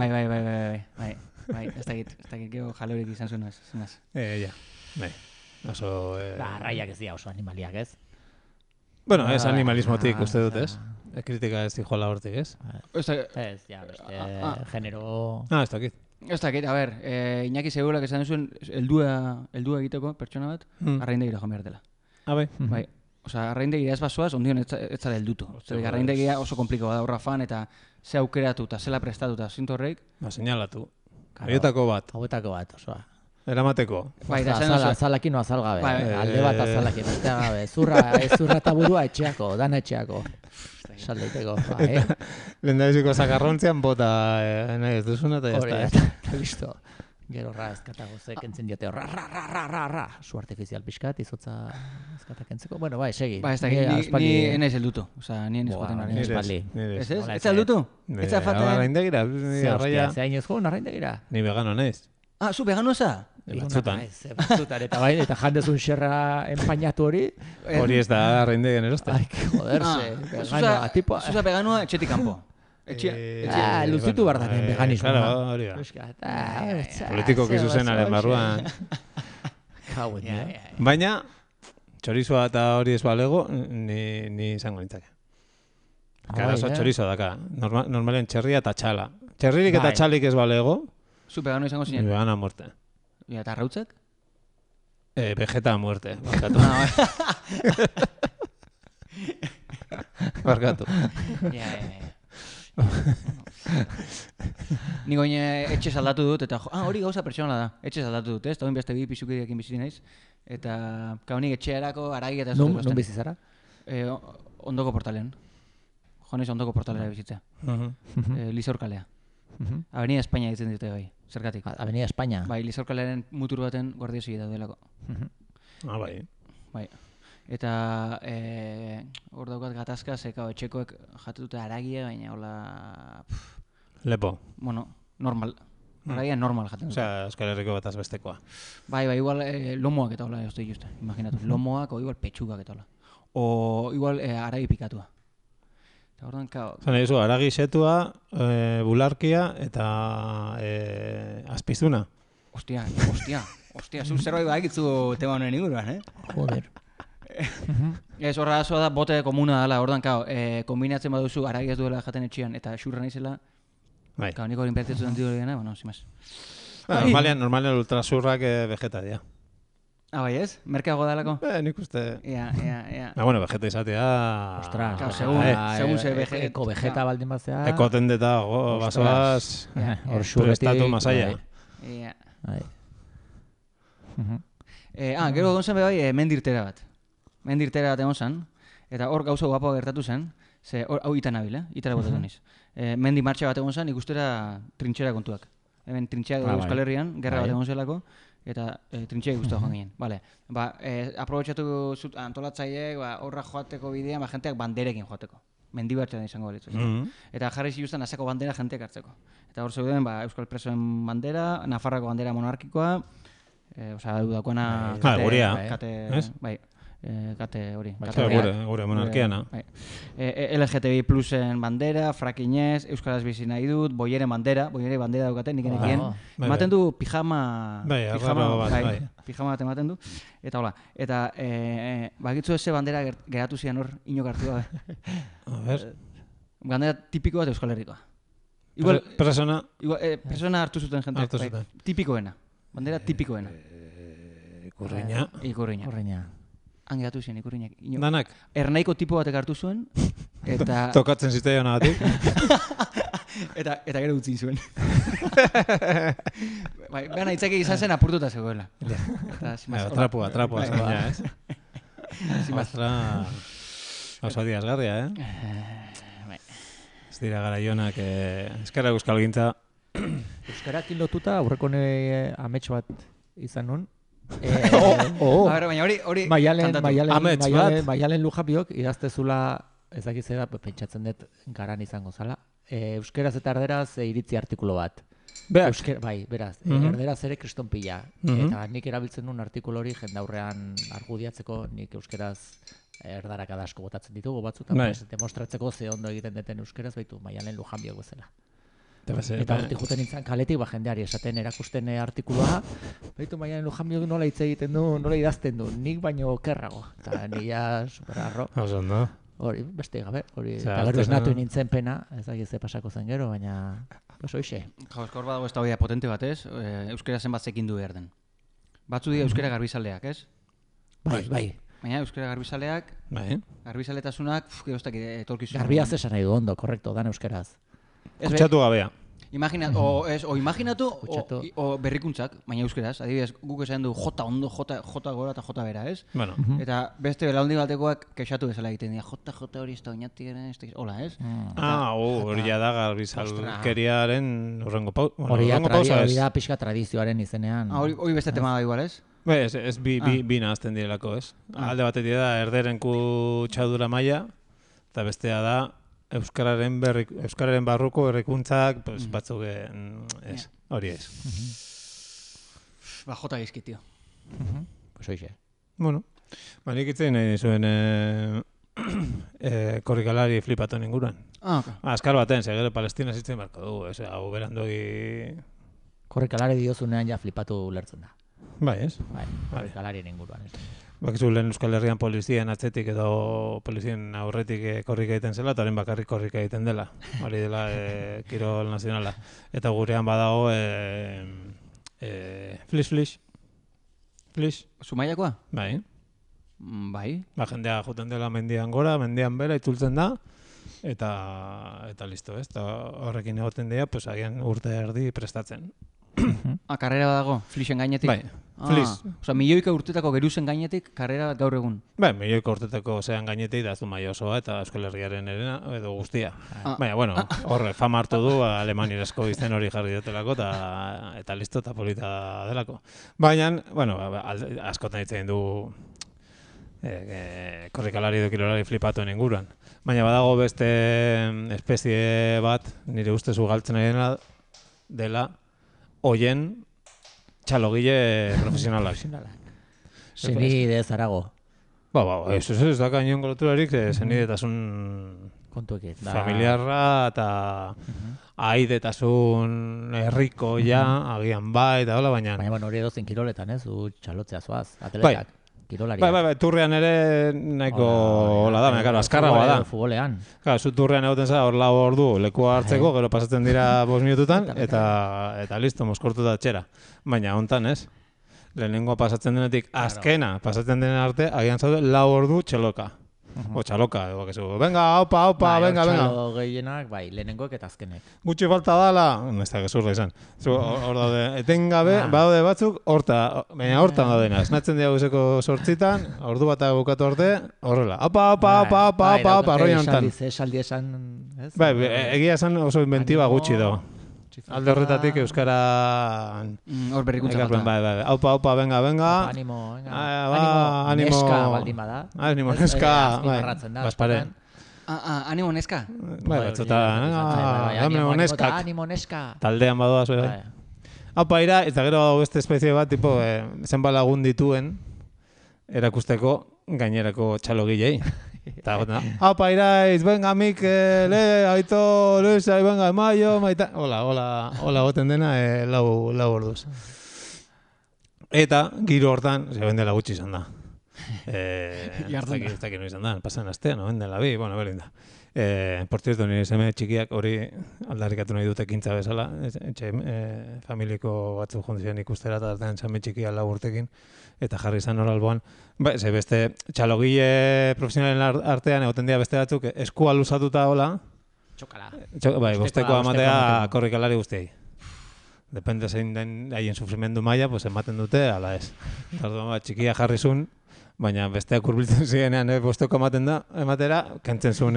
Bai, ez dakit geho jalorik izan zuen ez. Ja, bai. Oso... Arraiak ez dira oso animaliak ez? Bueno, ez animalismotik uste dut ez? Kritika ez dijola hortik ez? Ez, ja, genero... Ez dakit. Ez dakit, a ber, Iñaki Segulak esan zuen heldua egiteko pertsona bat, arraindegira joan behar dela. Bai. Bai. Osa, arraindegira ez basoaz, ondion ez zara heldutu. Arraindegira oso komplikua da horra fan, eta ze aukeratu eta zela prestatuta zintu horreik. Señalatu. Hauetako bat, osoa. Eramateko. Azalakin o azalgabe. Alde bat azalakin, bestea gabe. Zurra eta burua etxeako, dana etxeako. Saldeiteko. Lendabiziko zakarrontzian bota nahi ez duzuna eta jazta. Listo. Gero ezkatago kentzen diote ra. Su artifizial pixkat, izotza ezkatak entzeko. Bueno, bai, segi. Ba, ez da, ni enaiz heldutu. Osa, ni enaiz joten ari. Ez? Ez heldutu? Ez zafaten? Arraindegira. Ze hain ez joan arraindegira? Ni vegano naiz. Ah, zu vegano eza? Batzutan. Batzutan, eta bai, eta jandezun xerra empainatu hori. Hori ez da arraindegen eroste. Ai, que joderse. Zuza veganoa etxetik kanpo. Luzitu behar daren veganismoa. Claro, hori da. Politiko kizuzenaren barruan. Baina, txorizoa eta hori ez balego, ni izango nintzake. Karazo txorizo daka. Normalen txerria eta txala. Txerririk eta txalik ez balego. Zu vegano izango zinen? Vegano a muerte. Eta arrautzak? Vegeta a muerte. Barkatu. Ni goine etxe aldatu dut, eta hori gauza pertsonala da. Etxe aldatu dut, ez? Eta beste bi pisukideekin bizi naiz. Eta kaunik etxearako aragi eta zuten. Nun bizi zara? Ondoko portalean. Joanez ondoko portalera bizitzea. Lizorkalea. Avenida España ditzen dute bai, zergatik. Avenida España? Bai, Lizorkalearen mutur baten guardiosegi daudelako. Bai. Bai. Eta hor daukat gatazka, zeka etxekoek jatute aragia, baina hola... Lepo. Bueno, normal. Aragia normal jaten dut. Osea, Euskal Herriko bataz bestekoa. Bai, igual lomoak eta hola, jozte juste, imaginatu. Lomoak o igual petxugak eta hola. O igual aragi pikatua. Zan egizu, aragi setua, bularkia eta azpizuna. Ostia, zu zerbait badakitzu tema honen inguruan, Joder. Ez horra azoa da, bote komuna dela, ordan, kombinatzen baduzu aragi ez duela jaten etxian, eta xurra naizela, niko hori inpertetu den ditu dena, bueno, zimaz. Normalean ultrasurrak vegeta dira. Ah, bai ez? Merkeago dalako? Nik uste... Ja. Bueno, vegeta izatea... Ostras, segun ze vegeta... Eko vegeta baldin batzea... Eko tendeta, basoaz... Prestatu masaia. Ja. Gero egon zen bai mendirtera bat. Mendirtera bat egon zen, eta hor gauza guapoa gertatu zen, ze hau ita nabil, itara botatu niz. Mendi martxa bat egon zen, ikustera trintxera kontuak. Hemen trintxera Euskal Herrian, gerra bat egon zelako, eta trintxeak guztua joan ginen. Vale. Aprobetxatu zut antolatzaileek horra joateko bidean, jenteak banderekin joateko. Mendibartean izango balitzu. Eta jarri zituzten azeko bandera jenteak hartzeko. Eta hor zeuden Euskal Presoen bandera, Nafarrako bandera monarkikoa, dagoena kate hori. Gure monarkiana. LGTBI plusen bandera, frakinez, Euskaraz bizi nahi dut, boieren bandera daukaten, nik enekien. Ematen du pijama bat ematen du. Eta hola, eta bakitzu eze bandera geratu zian hor, inok hartu gabe. Bandera tipiko bat Euskal Herrikoa. Persona hartu zuten jente. Tipikoena. Bandera tipikoena. Ikurriña. Angeratu zen ikurriñak. Danak? Ernaiko tipo batek hartu zuen, eta... Tokatzen zitzaion agatik. Eta gero utzi zuen. Baina itzaki izan zen apurtuta zegoela. Trapua, zaina, ez? Oso diazgarria, Ez dira garaionak, eskara euskalgintza. Euskarakin lotuta, aurreko amets bat izan nun. Baina hori Maialen Lujapiok idaztezula ezakizera pentsatzen dut garan izango zala. Euskeraz eta erderaz iritzi artikulo bat. Bai, beraz, erderaz ere kristonpila. Eta nik erabiltzen duen artikulo hori jendaurrean argudiatzeko, nik euskeraz erdarak adasko botatzen ditugu batzutan, demostratzeko ze ondo egiten duten euskeraz, baitu Maialen Lujapiok bezala. Eta hortik juten nintzen kaletik, jendeari esaten erakusten artikuloa, baitu Maialen Lujapiok nola hitz egiten du, nola idazten du, nik baino okerrago. Eta nila superarro. Hori, beste gabe, hori, eta gero esnatu nintzen pena, ez da gizte pasako zen gero, baina oso ixe. Hor badago ez da hori potente bat, ez? Euskera zenbat zekin du behar den. Batzu dira euskera garbizaleak, ez? Bai. Baina euskera garbizaleak, garbizaletasunak, etorkizun. Garbiaz esan nahi du ondo, korrekto, dan euskeraz. Kutsatu gabea. Imaginatu o berrikuntzak, baina euskeraz, adibidez, guk esan du jota ondo, jota gora eta jota bera, ez? Eta beste belaundi batekoak kexatu bezala egiten dira, jota hori ez da oinati garen, hola, ez? Hori da garbizalkeriaren urrengo pausa. Hori da pixka tradizioaren izenean. Hori beste tema da igual, ez? Ez bi nahazten direlako, ez? Alde batetik da erderen kutsadura maila, eta bestea da Euskararen barruko errekuntzak, batzuk ez, hori ez. Jota gizkit, tio. Pues hoxe. Bueno, nik itzen nahi zuen korrikalari flipatu ninguruan. Azkar baten, segero Palestina zitzen barko du, hau berandogi... Korrikalari diozunean ja flipatu lertzen da. Bai, ez? Bai, korrikalarien inguruan, ez. Bakizu lehen Euskal Herrian polizien atzetik edo polizien aurretik korrika egiten zela, eta horren bakarrik korrika egiten dela. Hori dela kirol nazionala. Eta gurean badago flish. Zumaiakoa? Bai. Bai. Jendea juten dela mendian gora, mendian bera itzultzen da, eta listo, ez? Eta horrekin egoten dira, agian urte erdi prestatzen. Karrera dago, flixen gainetik? Bai, flix. Milioika urtetako geruzen gainetik, karrera bat gaur egun? Bai, milioika urtetako zean gainetik, da Zumaia osoa eta Euskal Herriaren erena, edo guztia. Baina, bueno, horre, fama hartu du, Alemanirazko izen hori jarri dutelako, eta listo, eta polita delako. Baina, bueno, askotan ditzen du korrikalari edo kirolari flipatuen inguruan. Baina badago beste espezie bat, nire ustez ugaltzen ari dela, oien txalogile profesionalak. Zenide Zarago. Ez da kainion goloturarik zenidetasun familiarra eta aidetasun herrikoia, agian eta hola, baina... Baina hori edozen kiroletan, ez? Du txalotzea zoaz, atletak. Bai, turrean ere nahiko hola da, baina azkarragoa da. Futbolean. Zu turrean egoten za, hor lau ordu lekua hartzeko, gero pasatzen dira 5 minututan, eta listo, moskortuta txera. Baina hontan ez, lehenengoa pasatzen denetik azkena, pasatzen denen arte, agian zaude 4 ordu txeloka. O txaloka, ego kezu, venga, opa, venga. Txalo gehienak, bai, lehenengoek eta azkenek. Gutxi falta dala, ez da gezurra izan. Hor daude, etengabe, badaude batzuk, baina hortan daudena. Esnatzen dira guzeko 8:00, ordu bat bukatu arte, horrela. Opa, arroia hontan. Esaldi esan, ez? Bai, egia esan oso inventiba gutxi dago. Alde horretatik euskara... Hor berrikuntza falta. Bai. Aupa, venga. Animo, neska baldin bada. Animo, neska. Baspare. Animo, neska. Batzuta, animo, neska. Animo, neska. Taldean badoaz, bai. Aupa ira, eta gero beste espezie bat, tipo, zenbat lagun dituen, erakusteko gainerako txalogilei. Eta aupa iraiz, venga Mikel, Aito, Luisa, venga Maio, maita... Hola goten dena, lau orduz. Eta, giro hortan, bendela gutxi izan da. Ez dakit no izan da, pasan astean, no bendela bi, bueno, berdin da. Por cierto, nire seme txikiak hori aldarrikatu nahi dute ekintza bezala, familiko batzu jondizian ikustera, eta artean seme txikia 4 urtekin, eta jarri izan hor alboan. Ze beste txalogile profesionalen artean egoten dira beste batzuk eskua luzatuta hola. Txokala. Bai, bostekoa amatea korrikalari guztiei. Depende zein den haien sufrimendu maila, pues ematen dute, ala ez. Txikia jarri zuen, baina besteak hurbiltzen zirenean bosteko ematera, kentzen zuen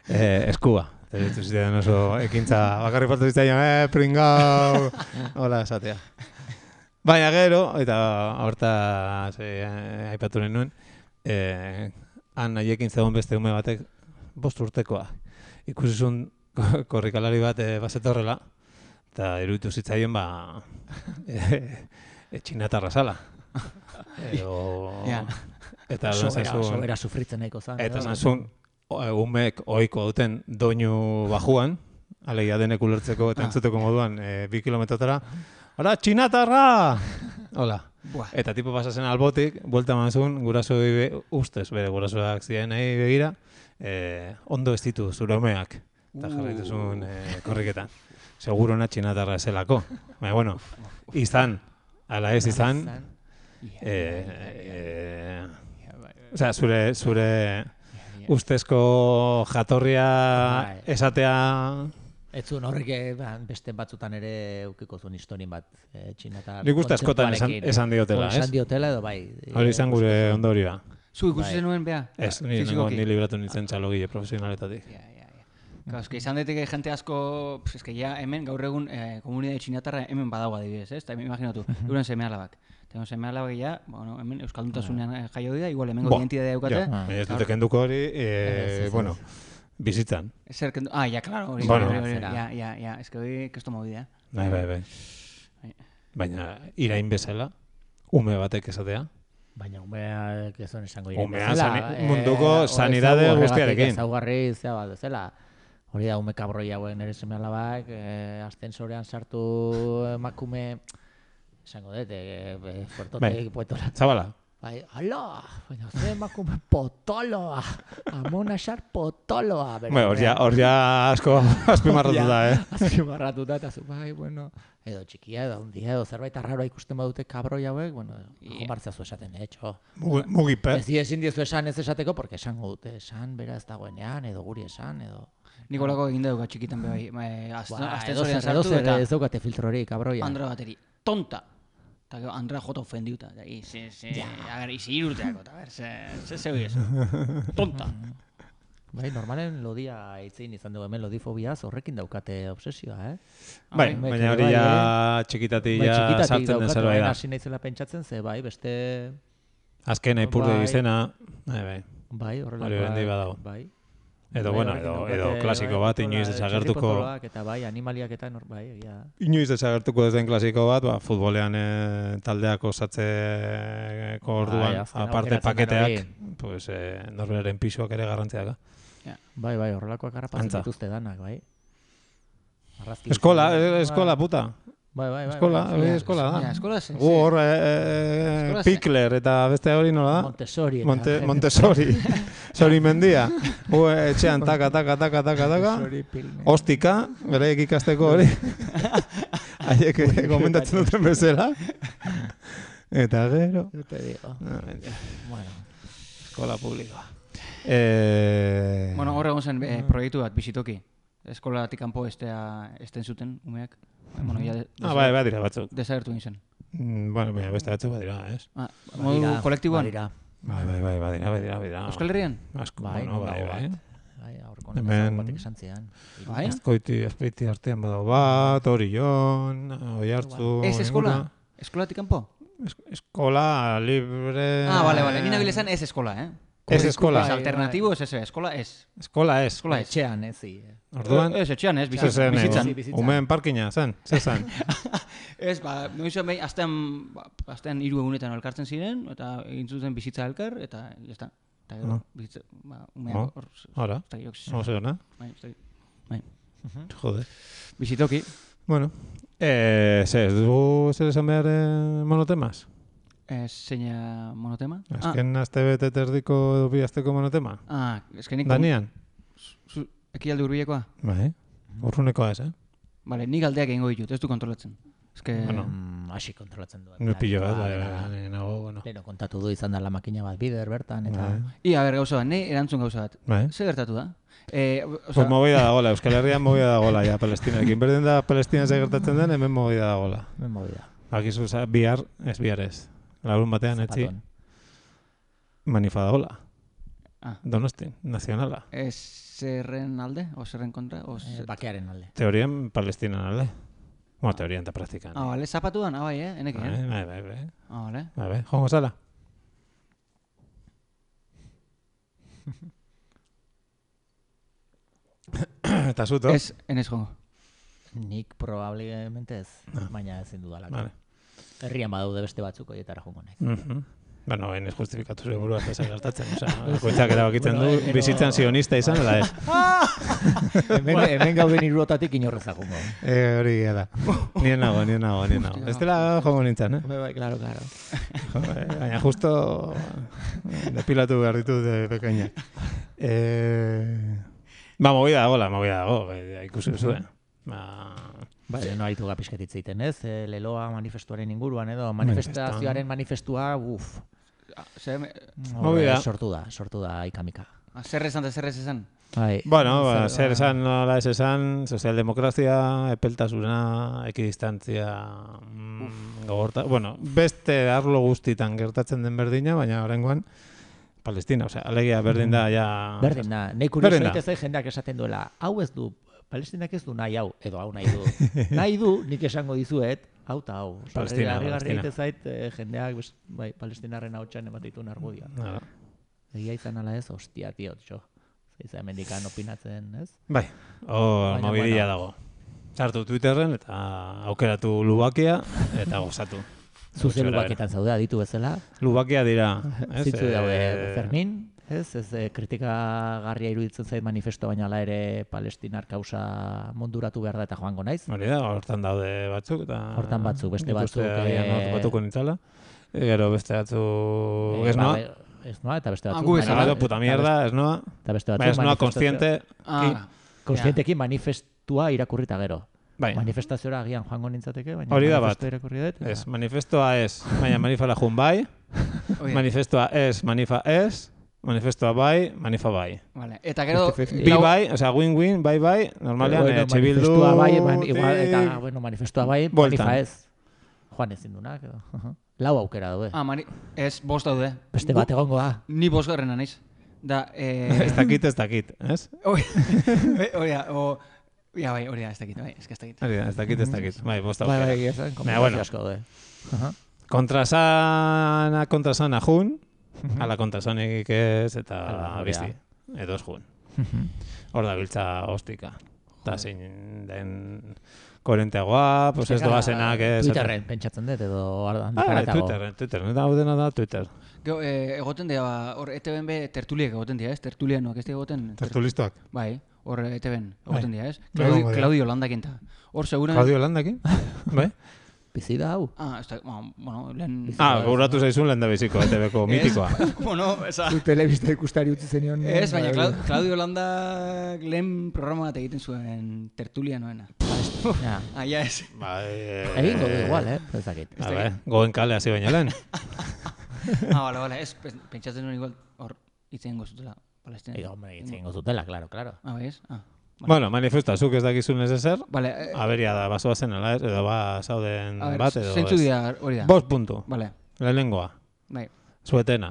eskua. Eta ditu ziren oso ekintza, bakarri faltu zitzaion, pringau, hola esatea. Baina gero, eta horta aipatu nuen, han haiekin zegoen beste ume batek 5 urtekoa. Ikusi zuen korrikalari bat bazetorrela, eta iruditu zitzaion txinatarra zala. Eta sobera sufritzen nahiko zan. Eta zantzun, umek ohiko duten doinu bajuan, alegia denek ulertzeko eta entzuteko moduan 2 kilometrotara, ¡Hora, txinatarra! Hola. Eta tipo pasazen albotik, buelta manzun, gurasoi ustez, bere gurasoak ziren nahi begira, ondo ez ditu zure umeak. Eta jarraitu zuen korriketan. Seguro na txinatarra eselako. Baina, bueno, izan, ala ez izan, osea, zure ustezko jatorria esatea... Ez zuen horrek beste batzutan ere eukiko zuen historien bat txinatar... Nik uste askotan esan diotela, ez? Esan diotela edo bai. Hori izan gure ondorioa. Zu ikusi zenuen, bea? Ez, ni libratu nintzen txalogile profesionaletatik. Eske izan daiteke jente asko, eske ja hemen gaur egun komunitate txinatarra hemen badago adibidez, ez? Eta imaginatu, euren seme-alabak. Eta seme-alabak ja, bueno, hemen euskalduntasunean jaio dira, igual hemengo identitatea daukate. Ez dute kenduko hori, bueno, bizitzan. Ja, claro, hori. Ja, eske hori kesto movida. Bai. Baina irain bezala, ume batek esatea. Baina umeak ez zuen esango irain bezala. Munduko sanidade guztiarekin. Ezaugarri zea bat bezala. Hori da, ume kabroi hauen ere seme-alabak, ascensorean sartu emakume, esango dut, fuertotek poetora. Zabala. Bai, ala, baina ze emakume potoloa, amona xar potoloa. Hor ja asko azpimarratuta, Azpimarratuta, eta zu, bai, bueno, edo txikia, edo hundia, edo zerbait arraroa ikusten badute kabroi hauek, bueno, jomartzea zu esaten, etxo. Mugipe. Ezin diezu esan ez esateko, porque esango dute, esan, bera ez dagoenean, edo guri esan, edo... Nikolako egin dugu txikitan bai, astensorean sartu eta... Ez daukate filtrori, kabroia. Andra bateri, tonta. Eta gero Andra jota ofendiuta. Izi irurteako, eta ber, ze hori ez. Tonta. Bai, normalen lodia itzein izan dugu hemen lodifobiaz, horrekin daukate obsesioa, Bai, baina hori ja txikitatik ja sartzen den zerbait da. Hasi naizela pentsatzen, ze bai, beste... Azken aipurde izena, bai. Bai, horrelakoa. Hori bendi badago. Bai. Edo, bueno, edo klasiko bat, inoiz desagertuko... Eta bai, animaliak eta bai, egia. Inoiz desagertuko ez den klasiko bat, futbolean taldeak osatzeko orduan, aparte paketeak, pues, norberaren pisuak ere garrantziak. Bai, horrelakoak harrapatzen dituzte danak, bai. Eskola, puta. Bai. Eskola da. Eskola zen. Hor, Pikler eta beste hori nola da? Montessori. Sori mendia. Etxean taka. Ostika, bereik ikasteko hori. Haiek komentatzen duten bezala. Eta gero. Bueno, eskola publikoa. Bueno, horre zen proiektu bat bizitoki. Eskolatik kanpo esten zuten umeak. Bai, dira batzuk. Desagertu nintzen. Bueno, beste batzuk badira, ez? Modu kolektiboan? Bai, badira. Euskal Herrian? Asko, bueno, bai. Aurko nezagun batek esan zian. Azpeiti artean badago bat, Orion, Oiartzu... Ez eskola? Eskolatik kanpo? Eskola libre... Vale, nina bilezan ez eskola, Ez eskola. Alternatibo ez eskola ez. Eskola ez. Etxean ez, Orduan? Ez, etxean ez, bizitzan. Umeen parkina, zen? Zezan? Ez, noizu behin, astean 3 egunetan elkartzen ziren, eta egin zuten bizitza elkar, eta jazta. Eta gero, bizitza, umean hor... Hora, hor na? Bai. Jode. Bizitoki. Bueno, ez dugu zer esan behar monotemas? Zeina monotema? Azken aste bete terdiko edo bi asteko monotema? Eskenik... Danian? Ekialde hurbilekoa? Bai, urrunekoa ez, Bale, nik aldeak egingo ditut, ez du kontrolatzen. Bueno, hasi kontrolatzen du. No pillo bat, bueno. Leno kontatu du izan da la makina bat bider bertan, eta... A ber, gauza bat, erantzun gauza bat. Zer gertatu da? Pues movida dagoela, Euskal Herrian movida dagoela, ja, Palestinarekin. Berdin da Palestina ze gertatzen den, hemen movida dagoela. Hemen movida. Akizu, bihar ez. Larun batean etzi. Manifa dagoela. Donostin, nazionala. Zerren alde, o zerren kontra? Bakearen alde. Teorien Palestinan alde. Bueno, teorien eta praktikan. Bale, zapatuan, bai, enekin, Bai. Bale. Bai, jongo zala. Eta zuto? Ez, enez jongo. Nik probablemente ez, baina ezin dudalako. Herrian badaude beste batzuk horietara jongo nahi. Bueno, ez justifikatu zure burua ez gertatzen. Goitzak erabakitzen du, bizitzan sionista izan, ala ez. Hemen gauden irrotatik inorrezak jongo. Hori da. Nien nago. Ez dela jongo nintzen, Bai, claro. Baina justo depilatu behar ditut pekainak. Movida dago, ikusi zuen. Bai, no haitu gapisketit zeiten, ez? Leloa manifestuaren inguruan, edo manifestazioaren manifestua, sortu da ikamika. Zer esan da zer ez esan? Bueno, zer esan, nola ez esan, sozialdemokrazia, epeltasuna, ekidistantzia, gogorta, bueno, beste arlo guztitan gertatzen den berdina, baina horrengoan, Palestina, alegia berdin da, ja... Berdin da, nahi kurioso egite zai jendeak esaten duela, hau ez du, Palestinak ez du nahi hau, edo hau nahi du. Nahi du, nik esango dizuet, hau eta hau. Palestina. Harri zait, jendeak, palestinarren hau txan ematitun argudioa. Egia izan ala ez, hostia, tio, txo. Zeiza emendikan opinatzen, ez? Bai, mobidia dago. Sartu Twitterren eta aukeratu Lubakia eta gozatu. Zuze Lubakietan zaude, aditu bezala. Lubakia dira. Zitzu daude Fermin. Ez kritikagarria iruditzen zait manifesto, baina ala ere palestinar kausa munduratu behar da eta joango naiz. Hori da, hortan daude batzuk eta... Hortan batzuk, beste batzuk... Batuko nintzala. Gero beste batzuk... Ez noa? Ez noa eta beste batzuk... Gero puta mierda, ez noa. Eta beste batzuk... Ez noa konstiente... Konstientekin manifestua irakurrita gero. Manifestazioa agian joango nintzateke, baina manifestua irakurri dut. Ez, manifestua ez, baina manifala jun bai. Manifestua ez, manifa ez. Manifestua bai, manifa bai. Vale. Eta gero... Bi bai, win-win, bai, normalean, etxebildu... Manifestua bai, eta, manifestua bai, manifa ez. Joan ezin dunak, edo. Lau aukera daude. Ez, bost daude. Beste bat egongo da. Ni bost garrena naiz. Da, Ez dakit, ez? Hori da, ez dakit. Ez dakit. Bai, bost aukera. Bai, asko daude. Kontrasana jun, ala kontrasanik ez, eta bizti, edo ez jun. Hor da biltza hostika. Eta zein den koherenteagoa, pues ez doazenak... Twitterren pentsatzen dut, edo Twitterren, eta hau dena da Twitter. Egoten dira, hor ETB tertuliek egoten dira, ez? Tertulianoak ez egoten... Tertulistoak? Bai, hor ETB egoten dira, ez? Claudio Landakin ta. Hor seguran... Claudio Landakin? Bai? Bizida hau? Lehen... Gauratu zaizun lehen da biziko, ETB-ko mitikoa. Zu telebista ikustari utzi zenion... Ez, baina Claudio Landak lehen programa bat egiten zuen tertulianoena. Ja ez. Egin godu igual, ezakit. Goen kale hasi baina lehen. Bale, ez, pentsatzen nuen igual hor itzen gozutela Palestina. Hombre, itzen gozutela, claro. Bai, ez? Bueno, manifesta, zuk ez dakizun ez ezer, aberia da, basoa zen ala ez, edo zauden bat edo ez. Zentzu dira hori da. 5 puntu. Vale. Lehenengoa. Bai. Zuetena.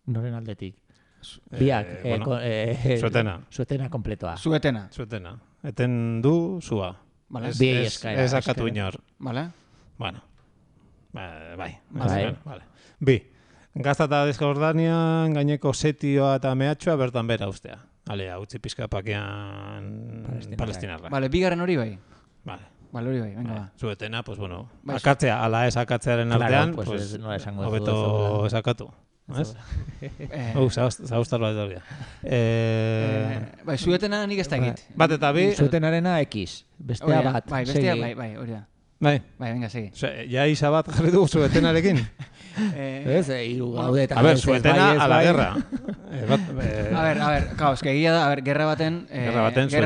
Noren aldetik. Biak. Zuetena kompletoa. Zuetena. Eten du zua. Vale. Ez akatu inor. Vale. Bueno. Bai. Bi. Gazta eta Desjordanian gaineko setioa eta mehatxoa bertan bera ustea. Alea, utzi pizka pakean palestinarra. Vale, bigarren hori bai. Vale, hori bai, venga ba. Zuetena, pues bueno, akatzea, ala ez akatzearen artean, pues hobeto esakatu. ¿Ez? Zaustar bat dut. Bai, zuetena nik ez da egit. Bat eta bi. Zuetenarena X, bestea bat. Bai, bestea, bai, hori da. Bai, venga, segi. Ja isa bat jarri dugu zuetenarekin. Ez, hiru gaude eta... A ver, zuetena a la guerra. A ver, claro, es que egia da, gerra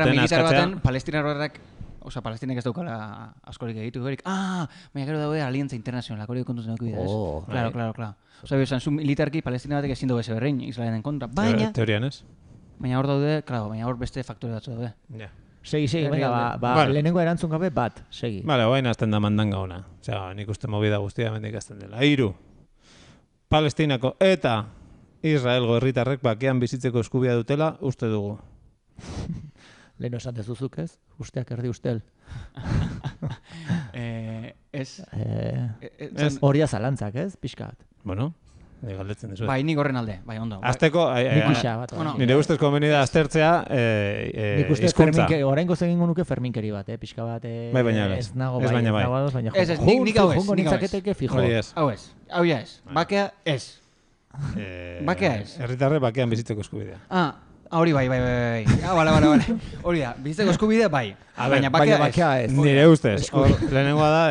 militar baten, palestinar horrek, oza, palestinek ez daukala askorik egitu berik. Baina gero daude aliantza internazional, hori kontuz neko bidez. Claro. Oza, bizan, zu militarki palestina batek ezin dugu eze berrein, Israelen kontra, baina... Teorian ez? Baina hor daude, baina hor beste faktore batzu daude. Ja. Segi, lehenengo erantzun gabe bat, segi. Vale, oain azten da mandanga ona. Osea, nik uste movida guztia mendik azten dela. 3. Palestinako eta Israelgo herritarrek bakean bizitzeko eskubia dutela uste dugu. Lehen esan dezuzuk ez? Usteak erdi ustel. Ez. Horia zalantzak ez? Pixkat. Bueno, galdetzen dezu. Bai, nik horren alde, bai, ondo. Azteko, nire ustez komeni da aztertzea nik uste oraingo zegin nuke ferminkeri bat, pixka bat ez nago bai. Ez, nik hau ez. Hau ez. Bakea ez. Bakea ez. Herritarre bakean bizitzeko eskubidea. Hori bai. Bale. Hori da, bizitzeko eskubidea bai. Baina bakea ez. Nire ustez, lehenengoa da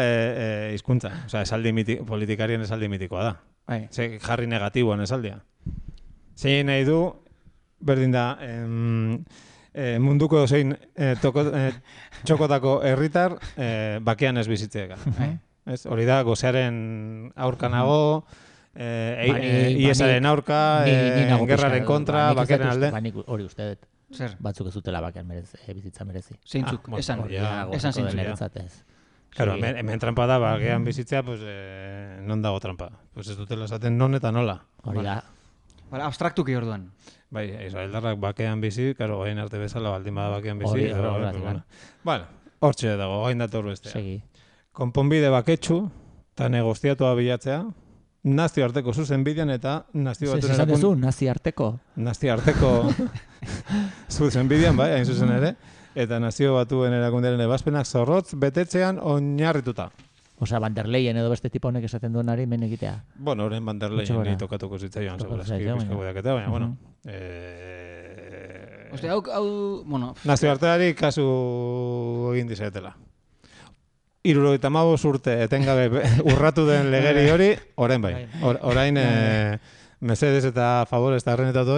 hizkuntza. Osea, politikarien esaldi mitikoa da. Jarri negatiboan esaldia. Zein nahi du, berdin da, munduko zein txokotako herritar bakean ez bizitzeeka. Hori da, gozearen aurkanago, IESaren aurka, gerraren kontra, bakearen alde. Hori uste dut. Batzuk ez dutela bakean bizitza merezi. Zeintzuk, esan zeintzuk. Claro, hemen trampa da, bakean bizitzea, pues, non dago trampa. Pues ez dutela esaten non eta nola. Hori da. Abstraktuki orduan. Bai, israeldarrak bakean bizi, karo, gain arte bezala, baldin bada bakean bizi. Bueno, hortxe dago, gain dator bestea. Segi. Konponbide baketsu, eta negoziatua bilatzea, nazioarteko zuzenbidean eta naziobatuen erakun... Nazioarteko? Nazioarteko zuzenbidean, bai, hain zuzen ere. Eta nazio batuen erakundearen ebazpenak zorrotz betetzean oinarrituta. Osea, Van der Leyen edo beste tipo honek esaten duenari men egitea. Bueno, horren Van der Leyen ni tokatuko zitzaioan, segurazki, pizka gudeaketa, baina, bueno. Osea, hau, bueno... Nazioarteari kasu egin dizaetela. 75 urte etengabe urratu den legeri hori, orain bai. Orain Mercedes eta Favorez eta arrenetatu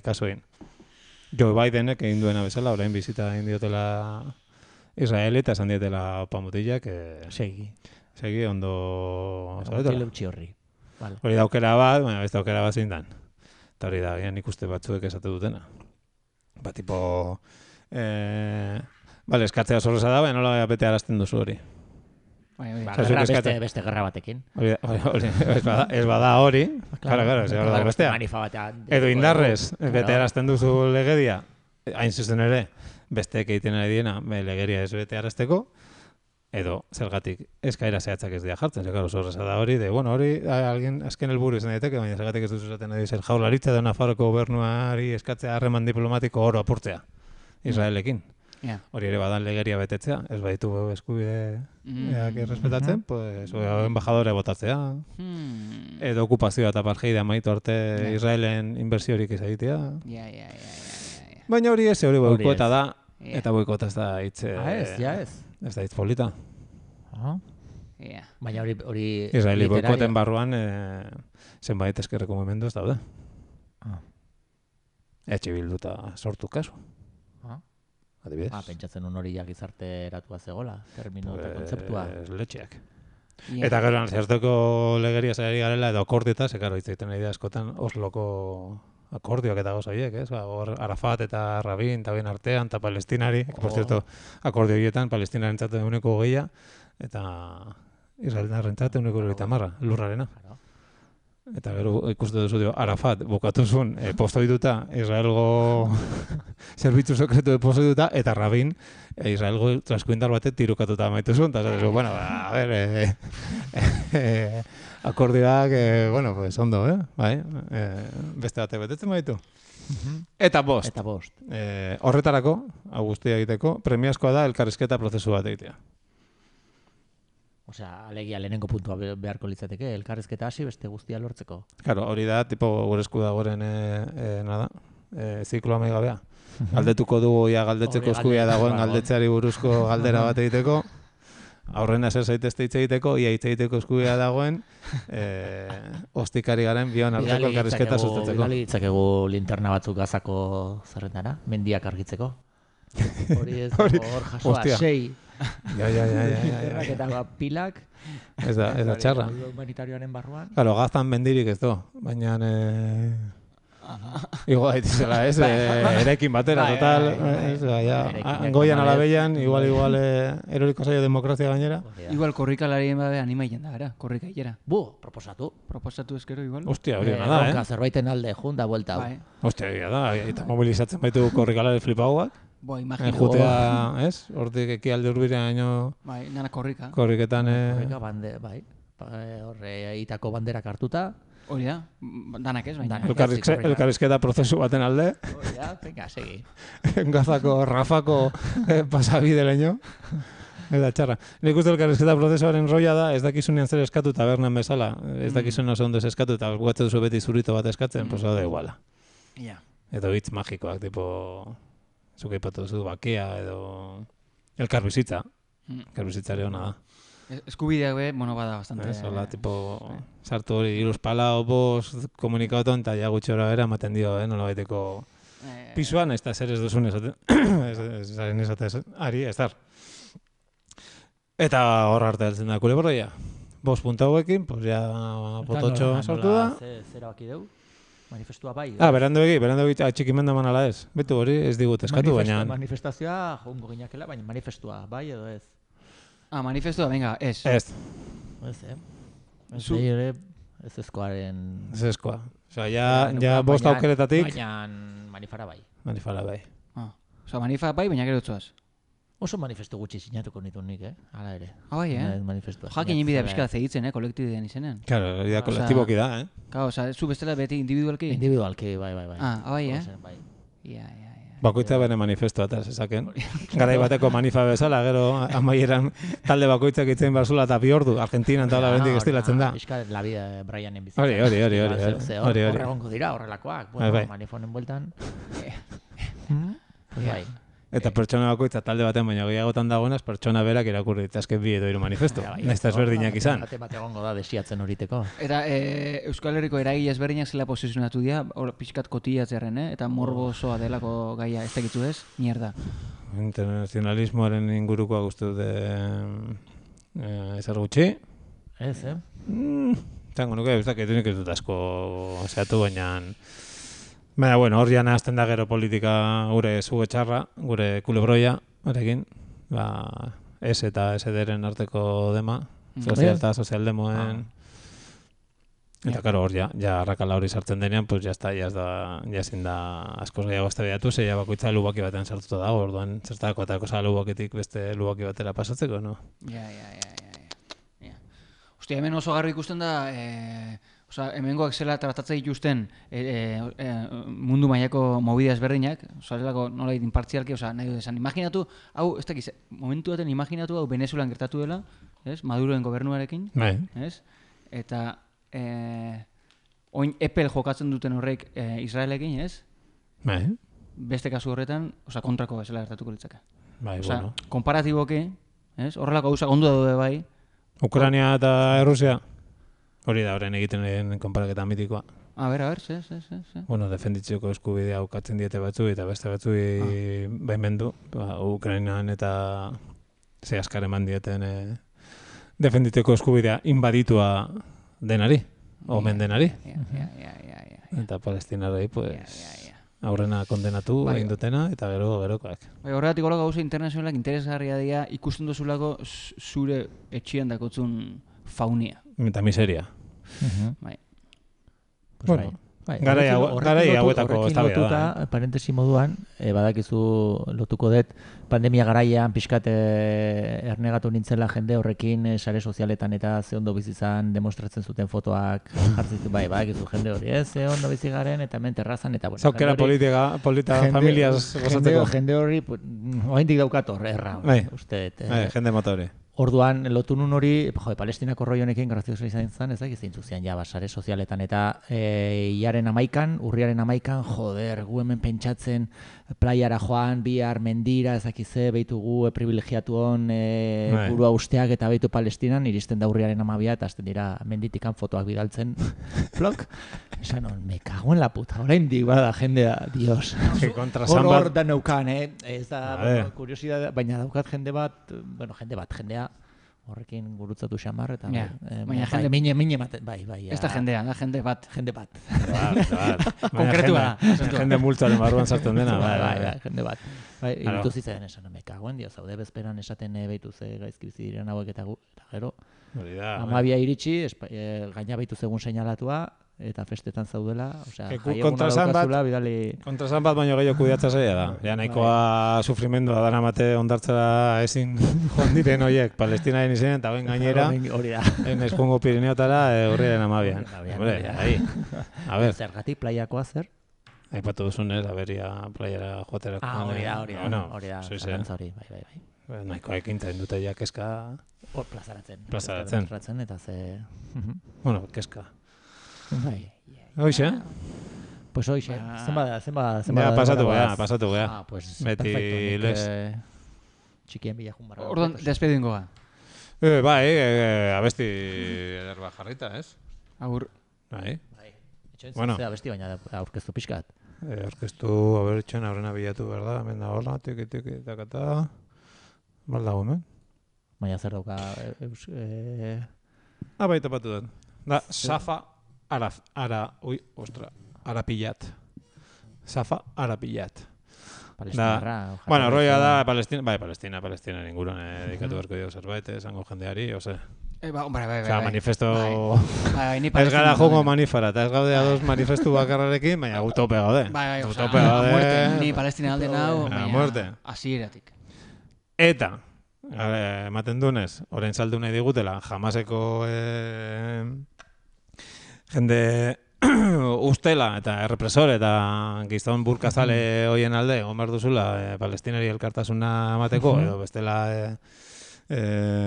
kasu egin. Joe Bidenek egin duena bezala, orain bizita egin diotela Israeli eta esan dietela opamutillak. Segi, ondo... Hori daukera bat, baina beste daukera bat zein dan. Eta hori da, nik uste batzuek esate dutena. Ba, tipo... eskatzea zorreza da, baina nola bete arazten duzu hori. Beste gerra batekin. Ez bada hori, claro, ez da bestea. Edo indarrez, bete arazten duzu legedia, hain zuzen ere, besteek egiten ari diena, legeria ez bete arazteko, edo zergatik eskaera zehatzak ez dira jartzen, zorreza da hori, hori azken helburu izan daiteke, baina zergatik ez duzu zaten ari zer jaurlaritza edo Nafarroko gobernuari eskatzea harreman diplomatiko oro apurtzea, Israelekin. Hori ere badan legeria betetzea, ez baditu eskubideak errespetatzen, pues embajadore botatzea, edo okupazioa eta apartheida amaitu arte Israelen inbertsiorik ez egitea. Baina hori ez, hori boikota da, eta boikota ez da hitz... Ez da hitz polita. Baina hori... Israeli boikoten barruan zenbait eskerreko mugimendu ez daude. Etxe bilduta sortu kasu. Adibidez. Pentsatzen hori gizarte eratua zegoela, termino eta kontzeptua. Letxeak. Eta gero, zehazteko legeria zaiari garela edo akordieta, zekaro hitz egiten nahi da askotan Osloko akordioak eta gauza horiek, ez? Arafat eta Rabin, eta bien artean, eta Palestinari, por cierto, akordio horietan, Palestinaren txate 1,20 eta Israelaren txate 1,30 lurrarena. eta gero ikuste duzu dio, Arafat bukatuzun postoituta, Israelgo zerbitzu sekretu postoituta, eta Rabin Israelgo traskuindar batek tirukatuta amaituzun, eta zatezu, bueno, a ver, akordioak, bueno, pues ondo, bai, beste batek betetzen baitu. Eta bost. Horretarako, guztia egiteko, premiazkoa da elkarrizketa prozesu bat egitea. Osea, alegia lehenengo puntua beharko litzateke, elkarrizketa hasi beste guztia lortzeko. Claro, hori da, tipo, gure esku dagoren, ziklo amaigabea. Galdetuko dugu, galdetzeko eskubia dagoen galdetzeari buruzko galdera bat egiteko, aurrena zer zaitezte hitz egiteko, ia hitz egiteko eskubia dagoen, ostikari garen bion arteko elkarrizketa sustatzeko. Bidali ditzakegu linterna batzuk gazako zerrendara, mendiak argitzeko. Hori ez dago hor jasoa, 6. Ja. Eta pilak. Ez da txarra. Humanitarioaren barruan. Claro, gaztan mendirik ez do, baina igual haitizela, ez? Erekin batera, total. Goian alabeian, igual eroriko zaio demokrazia gainera. Igual korrikalarien babe animaien da, gara, korrika hilera. Proposatu. Proposatu ezkero igual. Hostia, hori da, Zerbaiten alde, junda, buelta. Hostia, hori da, eta mobilizatzen baitu korrikalari flipauak. Imagino. Jutea, ez? Hortik eki alde urbirean Bai, nana korrika. Korriketan, Korrika bande, bai. Horre, itako banderak hartuta. Hori da, danak ez, baina. Elkarrizketa prozesu baten alde. Hori da, venga, segi. Gazako, Rafako pasabide leño. Eta txarra. Nik uste elkarrizketa prozesuaren roia da, ez dakizunean zer eskatu tabernan bezala. Ez dakizunean oso ondo ez eskatu, eta guatzen duzu beti zurito bat eskatzen, pues da iguala. Edo hitz magikoak, tipo... Zuk aipatu duzu bakea edo elkarbizitza. Elkarbizitzare hona da. Eskubideak be, bada bastante. Hola, tipo, sartu hori, iruz palau, bost, komunikauton, eta ja gutxora bera ematen dio, nola baiteko pisuan, ez da zer ez duzun esaten. Zaren esaten, ari, ez dar. Eta hor arte heltzen da kulebroia. 5 punta hauekin, pues ja pototxo sortu da. Zera baki deu? Manifestua bai. Berando egi atxikimenda manala ez. Betu hori ez digut eskatu, baina... Manifestazioa joango ginakela, baina manifestua bai edo ez? Manifestua, venga, ez. Ez. Ez ezkoaren... Ez ezkoa. Osa, ja bost aukeretatik... Baina manifara bai. Manifara bai. Osa, manifara bai, baina gero tzuaz. Oso manifestu gutxi sinatuko nitu nik, Hala ere. Bai, Jakin inbidea pixka zehitzen, kolektibidean izenen. Claro, hori da kolektiboki da, Claro, oza, zu bestela beti individualki? Individualki, bai. Bai, Bakoitza bere manifestua eta zezaken. Garai bateko manifa bezala, gero amaieran talde bakoitzak itzen barzula eta 2 ordu, Argentinan eta bendik estilatzen da. Iska la vida Brianen bizitza. Hori. Horregongo dira, horrelakoak. Manifonen bueltan. Bai. Eta pertsona bakoitza talde baten baina gehiagotan dagoenaz, pertsona berak irakurri ditzazke 2 edo 3 manifesto. Nahiz eta ezberdinak izan. Bat egongo da desiatzen horiteko. Eta Euskal Herriko eragile ezberdinak zela posizionatu dira, pixkat kotiatzearen, eta morbo osoa delako gaia ez dakitu ez, mierda. Internazionalismoaren ingurukoa guztu dute ezer gutxi. Ez, Zango nuke, ez dakit unik ez dut asko zehatu, baina... Baina, bueno, hor jana azten da gero politika gure zuge txarra, gure kulebroia, horrekin, S eta SD-ren arteko dema, sozial eta sozialdemoen. Eta, karo, hor ja arrakala hori sartzen denean, pues ja ezin da askoz gehiago eztabaidatu, zeia bakoitza lubaki batean sartuta dago, orduan zertako eta kosa lubaketik beste lubaki batera pasatzeko, no? Ja. Hostia, hemen oso garbi ikusten da... Osa, hemengoak zela tratatzea dituzten mundu mailako movida ezberdinak, osa, nola inpartzialki, osa, nahi dut esan, imaginatu, hau, ez dakiz, momentu baten imaginatu hau Venezuelan gertatu dela, ez, Maduroen gobernuarekin, ez, eta oin epel jokatzen duten horrek Israelekin, ez, beste kasu horretan, osa, kontrako bezala gertatuko litzake. Osa, komparatiboki, ez, horrelako gauza ondo daude bai. Ukraina eta Rusia? Hori da, horren egiten den konparaketa mitikoa. A ver, ze. Bueno, defenditzeko eskubidea ukatzen diete batzu eta beste batzu baimendu. Ukrainan eta ze askar eman dieten defenditzeko eskubidea inbaditua denari, omen denari. Eta palestinarrei, pues, aurrena kondenatu egin dutena eta gerokoak. Horregatik hola gauza internazionalak interesgarria dira ikusten duzulako zure etxian dakotzun faunia. Eta miseria. Garai hauetako eztabaida da. Parentesi moduan, badakizu lotuko dut, pandemia garaian pixkat ernegatu nintzela jende horrekin sare sozialetan eta ze ondo bizizan demostratzen zuten fotoak jartzitu, badakizu jende hori, ze ondo bizi garen eta hemen terrazan eta bueno. Zaukera polita familias gozatzeko. Jende hori, oraindik daukat erra, uste dut. Jende motore. Orduan, lotu nun hori, Palestinako roi honekin grazioso izan zen, ez dakit zeintzu zian sare sozialetan, eta urriaren 11, joder, gu hemen pentsatzen playara joan, bihar mendira, ez dakit ze, behitu gu privilegiatu hon burua usteak eta behitu Palestinan, iristen da urriaren 12 eta azten dira menditikan fotoak bidaltzen, flok, esan hon, me cago en la puta, orain dik bada jendea, dios, hor da neukan, ez da, kuriosidad, baina daukat jendea, horrekin gurutzatu xamar, eta baina jende mine ematen, bai. Ez da jendea, da jende bat. Konkretua da. Jende multzaren barruan sartzen dena. Bai, jende bat. Bai, iritu zitzen esan, me cagoen dio, zaude bezperan esaten behitu ze gaizki bizi diren hauek eta gero. 12 iritsi, gaina behitu zegun seinalatua, eta festetan zaudela, osea, jaieguna daukazula, bidali... Kontrasan bat baino gehiago kudiatza zaila da. Ja, nahikoa sufrimendua dara mate ondartzera ezin joan diren horiek, Palestinaren izen, eta ben gainera, eskongo Pirineotara urriaren 12. Hombre, ahi. A ver. Zergatik playakoa zer? Aipatu duzunez, aberia playara joaterako. Hori da, hori, bai. Nahikoa ekintzen dute ja keska... Hor plazaratzen. Eta ze... Bueno, keska. Bai. Hoxe? Pues hoxe. Zenba pasatu gea. Pues beti les. Txikien bila jun barra. Orduan, despedingo ga. Bai, abesti ederba jarrita, ez? Agur. Bai. Bueno. Abesti baina aurkeztu pixkat. Aurkeztu, abertxen aurrena bilatu, berda? Hemen da hola, tiki, takata. Baldago, hemen? Baina zer dauka... Baita batu den. Da, Safa Arapillat. Safa Arapillat. Palestinarra. Bueno, roia da Palestina inguruan dedikatu berko dio zerbait, esango jendeari, ose. Bai. Osea, manifesto... Ez gara jongo manifara, eta ez gaude ados manifestu bakarrarekin, baina utope gaude. Bai, muerte. Ni Palestina alde nau, muerte. Hasieratik. Eta, ematen dunez, orain saldu nahi digutela, Hamaseko jende ustela eta errepresor eta gizon burkazale hoien alde, gomar duzula palestinari elkartasuna emateko, edo bestela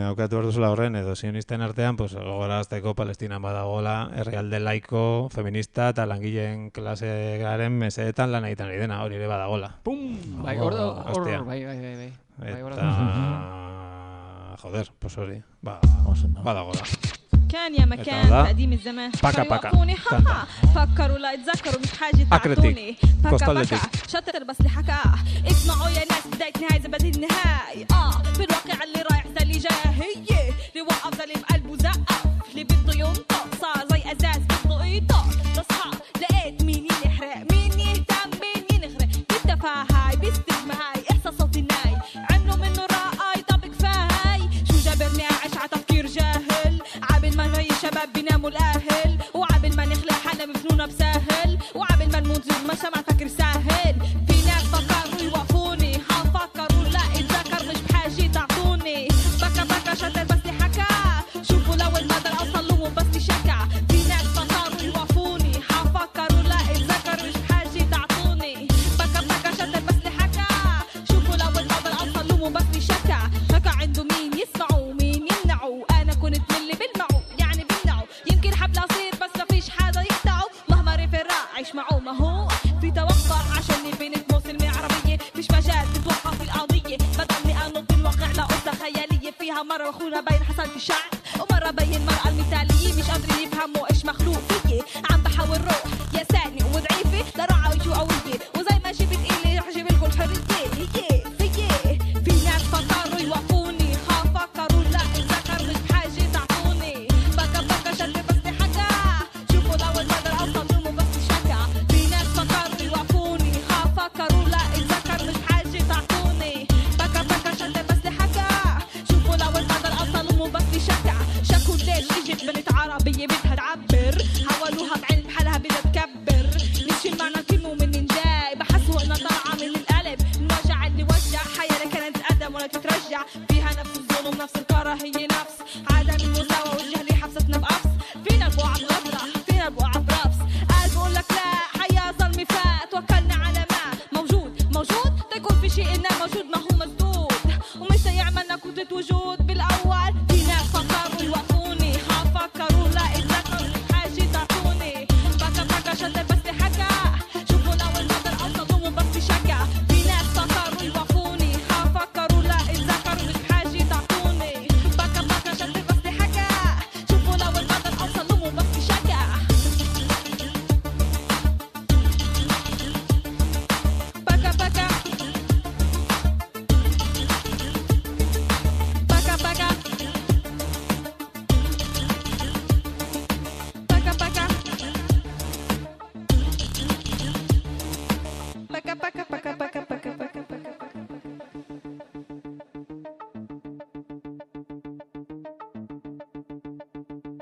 aukatu behar duzula horren, edo sionisten artean, pues, gogorazteko Palestinan badagoela herrialde laiko, feminista eta langileen klase garen mesedetan lan egiten ari dena, hori ere badagoela. Pum! Bai, bai. Eta... joder, pues hori, badagoela. كان يا مكان تقديم الزمان يوقفوني حقا فكروا لا يتذكروا مش حاجة تعطوني بكا شطر بس اللي حكاه اسمعوا يا ناس بداية نهاية زبادي النهاية في الواقع اللي رايح ده اللي جاي هي اللي وقف ده اللي بقلبه زقف اللي بده ينطق صار زي ازاز بده يطق تصحى لقيت مين يحرق مين يهتم مين ينغرق بالتفاهة باستجمة هاي احساسات الناي عملوا منه رأي طب كفاي شو جابرني اعيش على تفكير جاهل عابل ما هي شباب بيناموا الاهل وعابل ما نخلق حالنا مجنونه بساهل وعابل ما نموت زي ما سمع فكر ساهل في ناس فكروا يوقفوني هفكروا لا اتذكر مش بحاجه تعطوني بكا شتر بس لي حكى شوفوا لو المدى اوصل لهم بس لي شكا في ناس فكروا يوقفوني هفكروا لا اتذكر مش بحاجه تعطوني بكا شتر بس لي حكى شوفوا لو المدى اوصل لهم بس لي شكا شكا عنده مين يسمعوا مين يمنعوا انا كنت من اللي بلمعوا يعني بمنعوا يمكن حبل اصير بس ما فيش حدا يقطعوا مهما رفراع عيش معه ما هو في توقع عشان بنت مسلمة عربية مش مجال تتوقع في القضية بدل انط الواقع لقصة خيالية فيها مرة اخونا بين حصلت الشعب ومرة بين المرأة المثالية مش قادرين يفهموا ايش مخلوق فيي عم بحاول روح يا ساني وضعيفة لرعا وجو قوية وزي ما جبت إلي رح جيب لكم الحرية هي في ناس فكروا يوقفوني فكروا لا اتذكر مش بحاجة تعطوني بكا شد بس لي حكى شوفوا لو المدى اوصل لهم بس شكا في ناس فكروا يوقفوني فكروا لا اتذكر مش بحاجة تعطوني بكا شد بس لي حكى شوفوا لو المدى اوصل لهم بس شكا شكوا ليش اجت بنت عربية بدها تعبر حولوها بعلم بحالها بدها كراهيين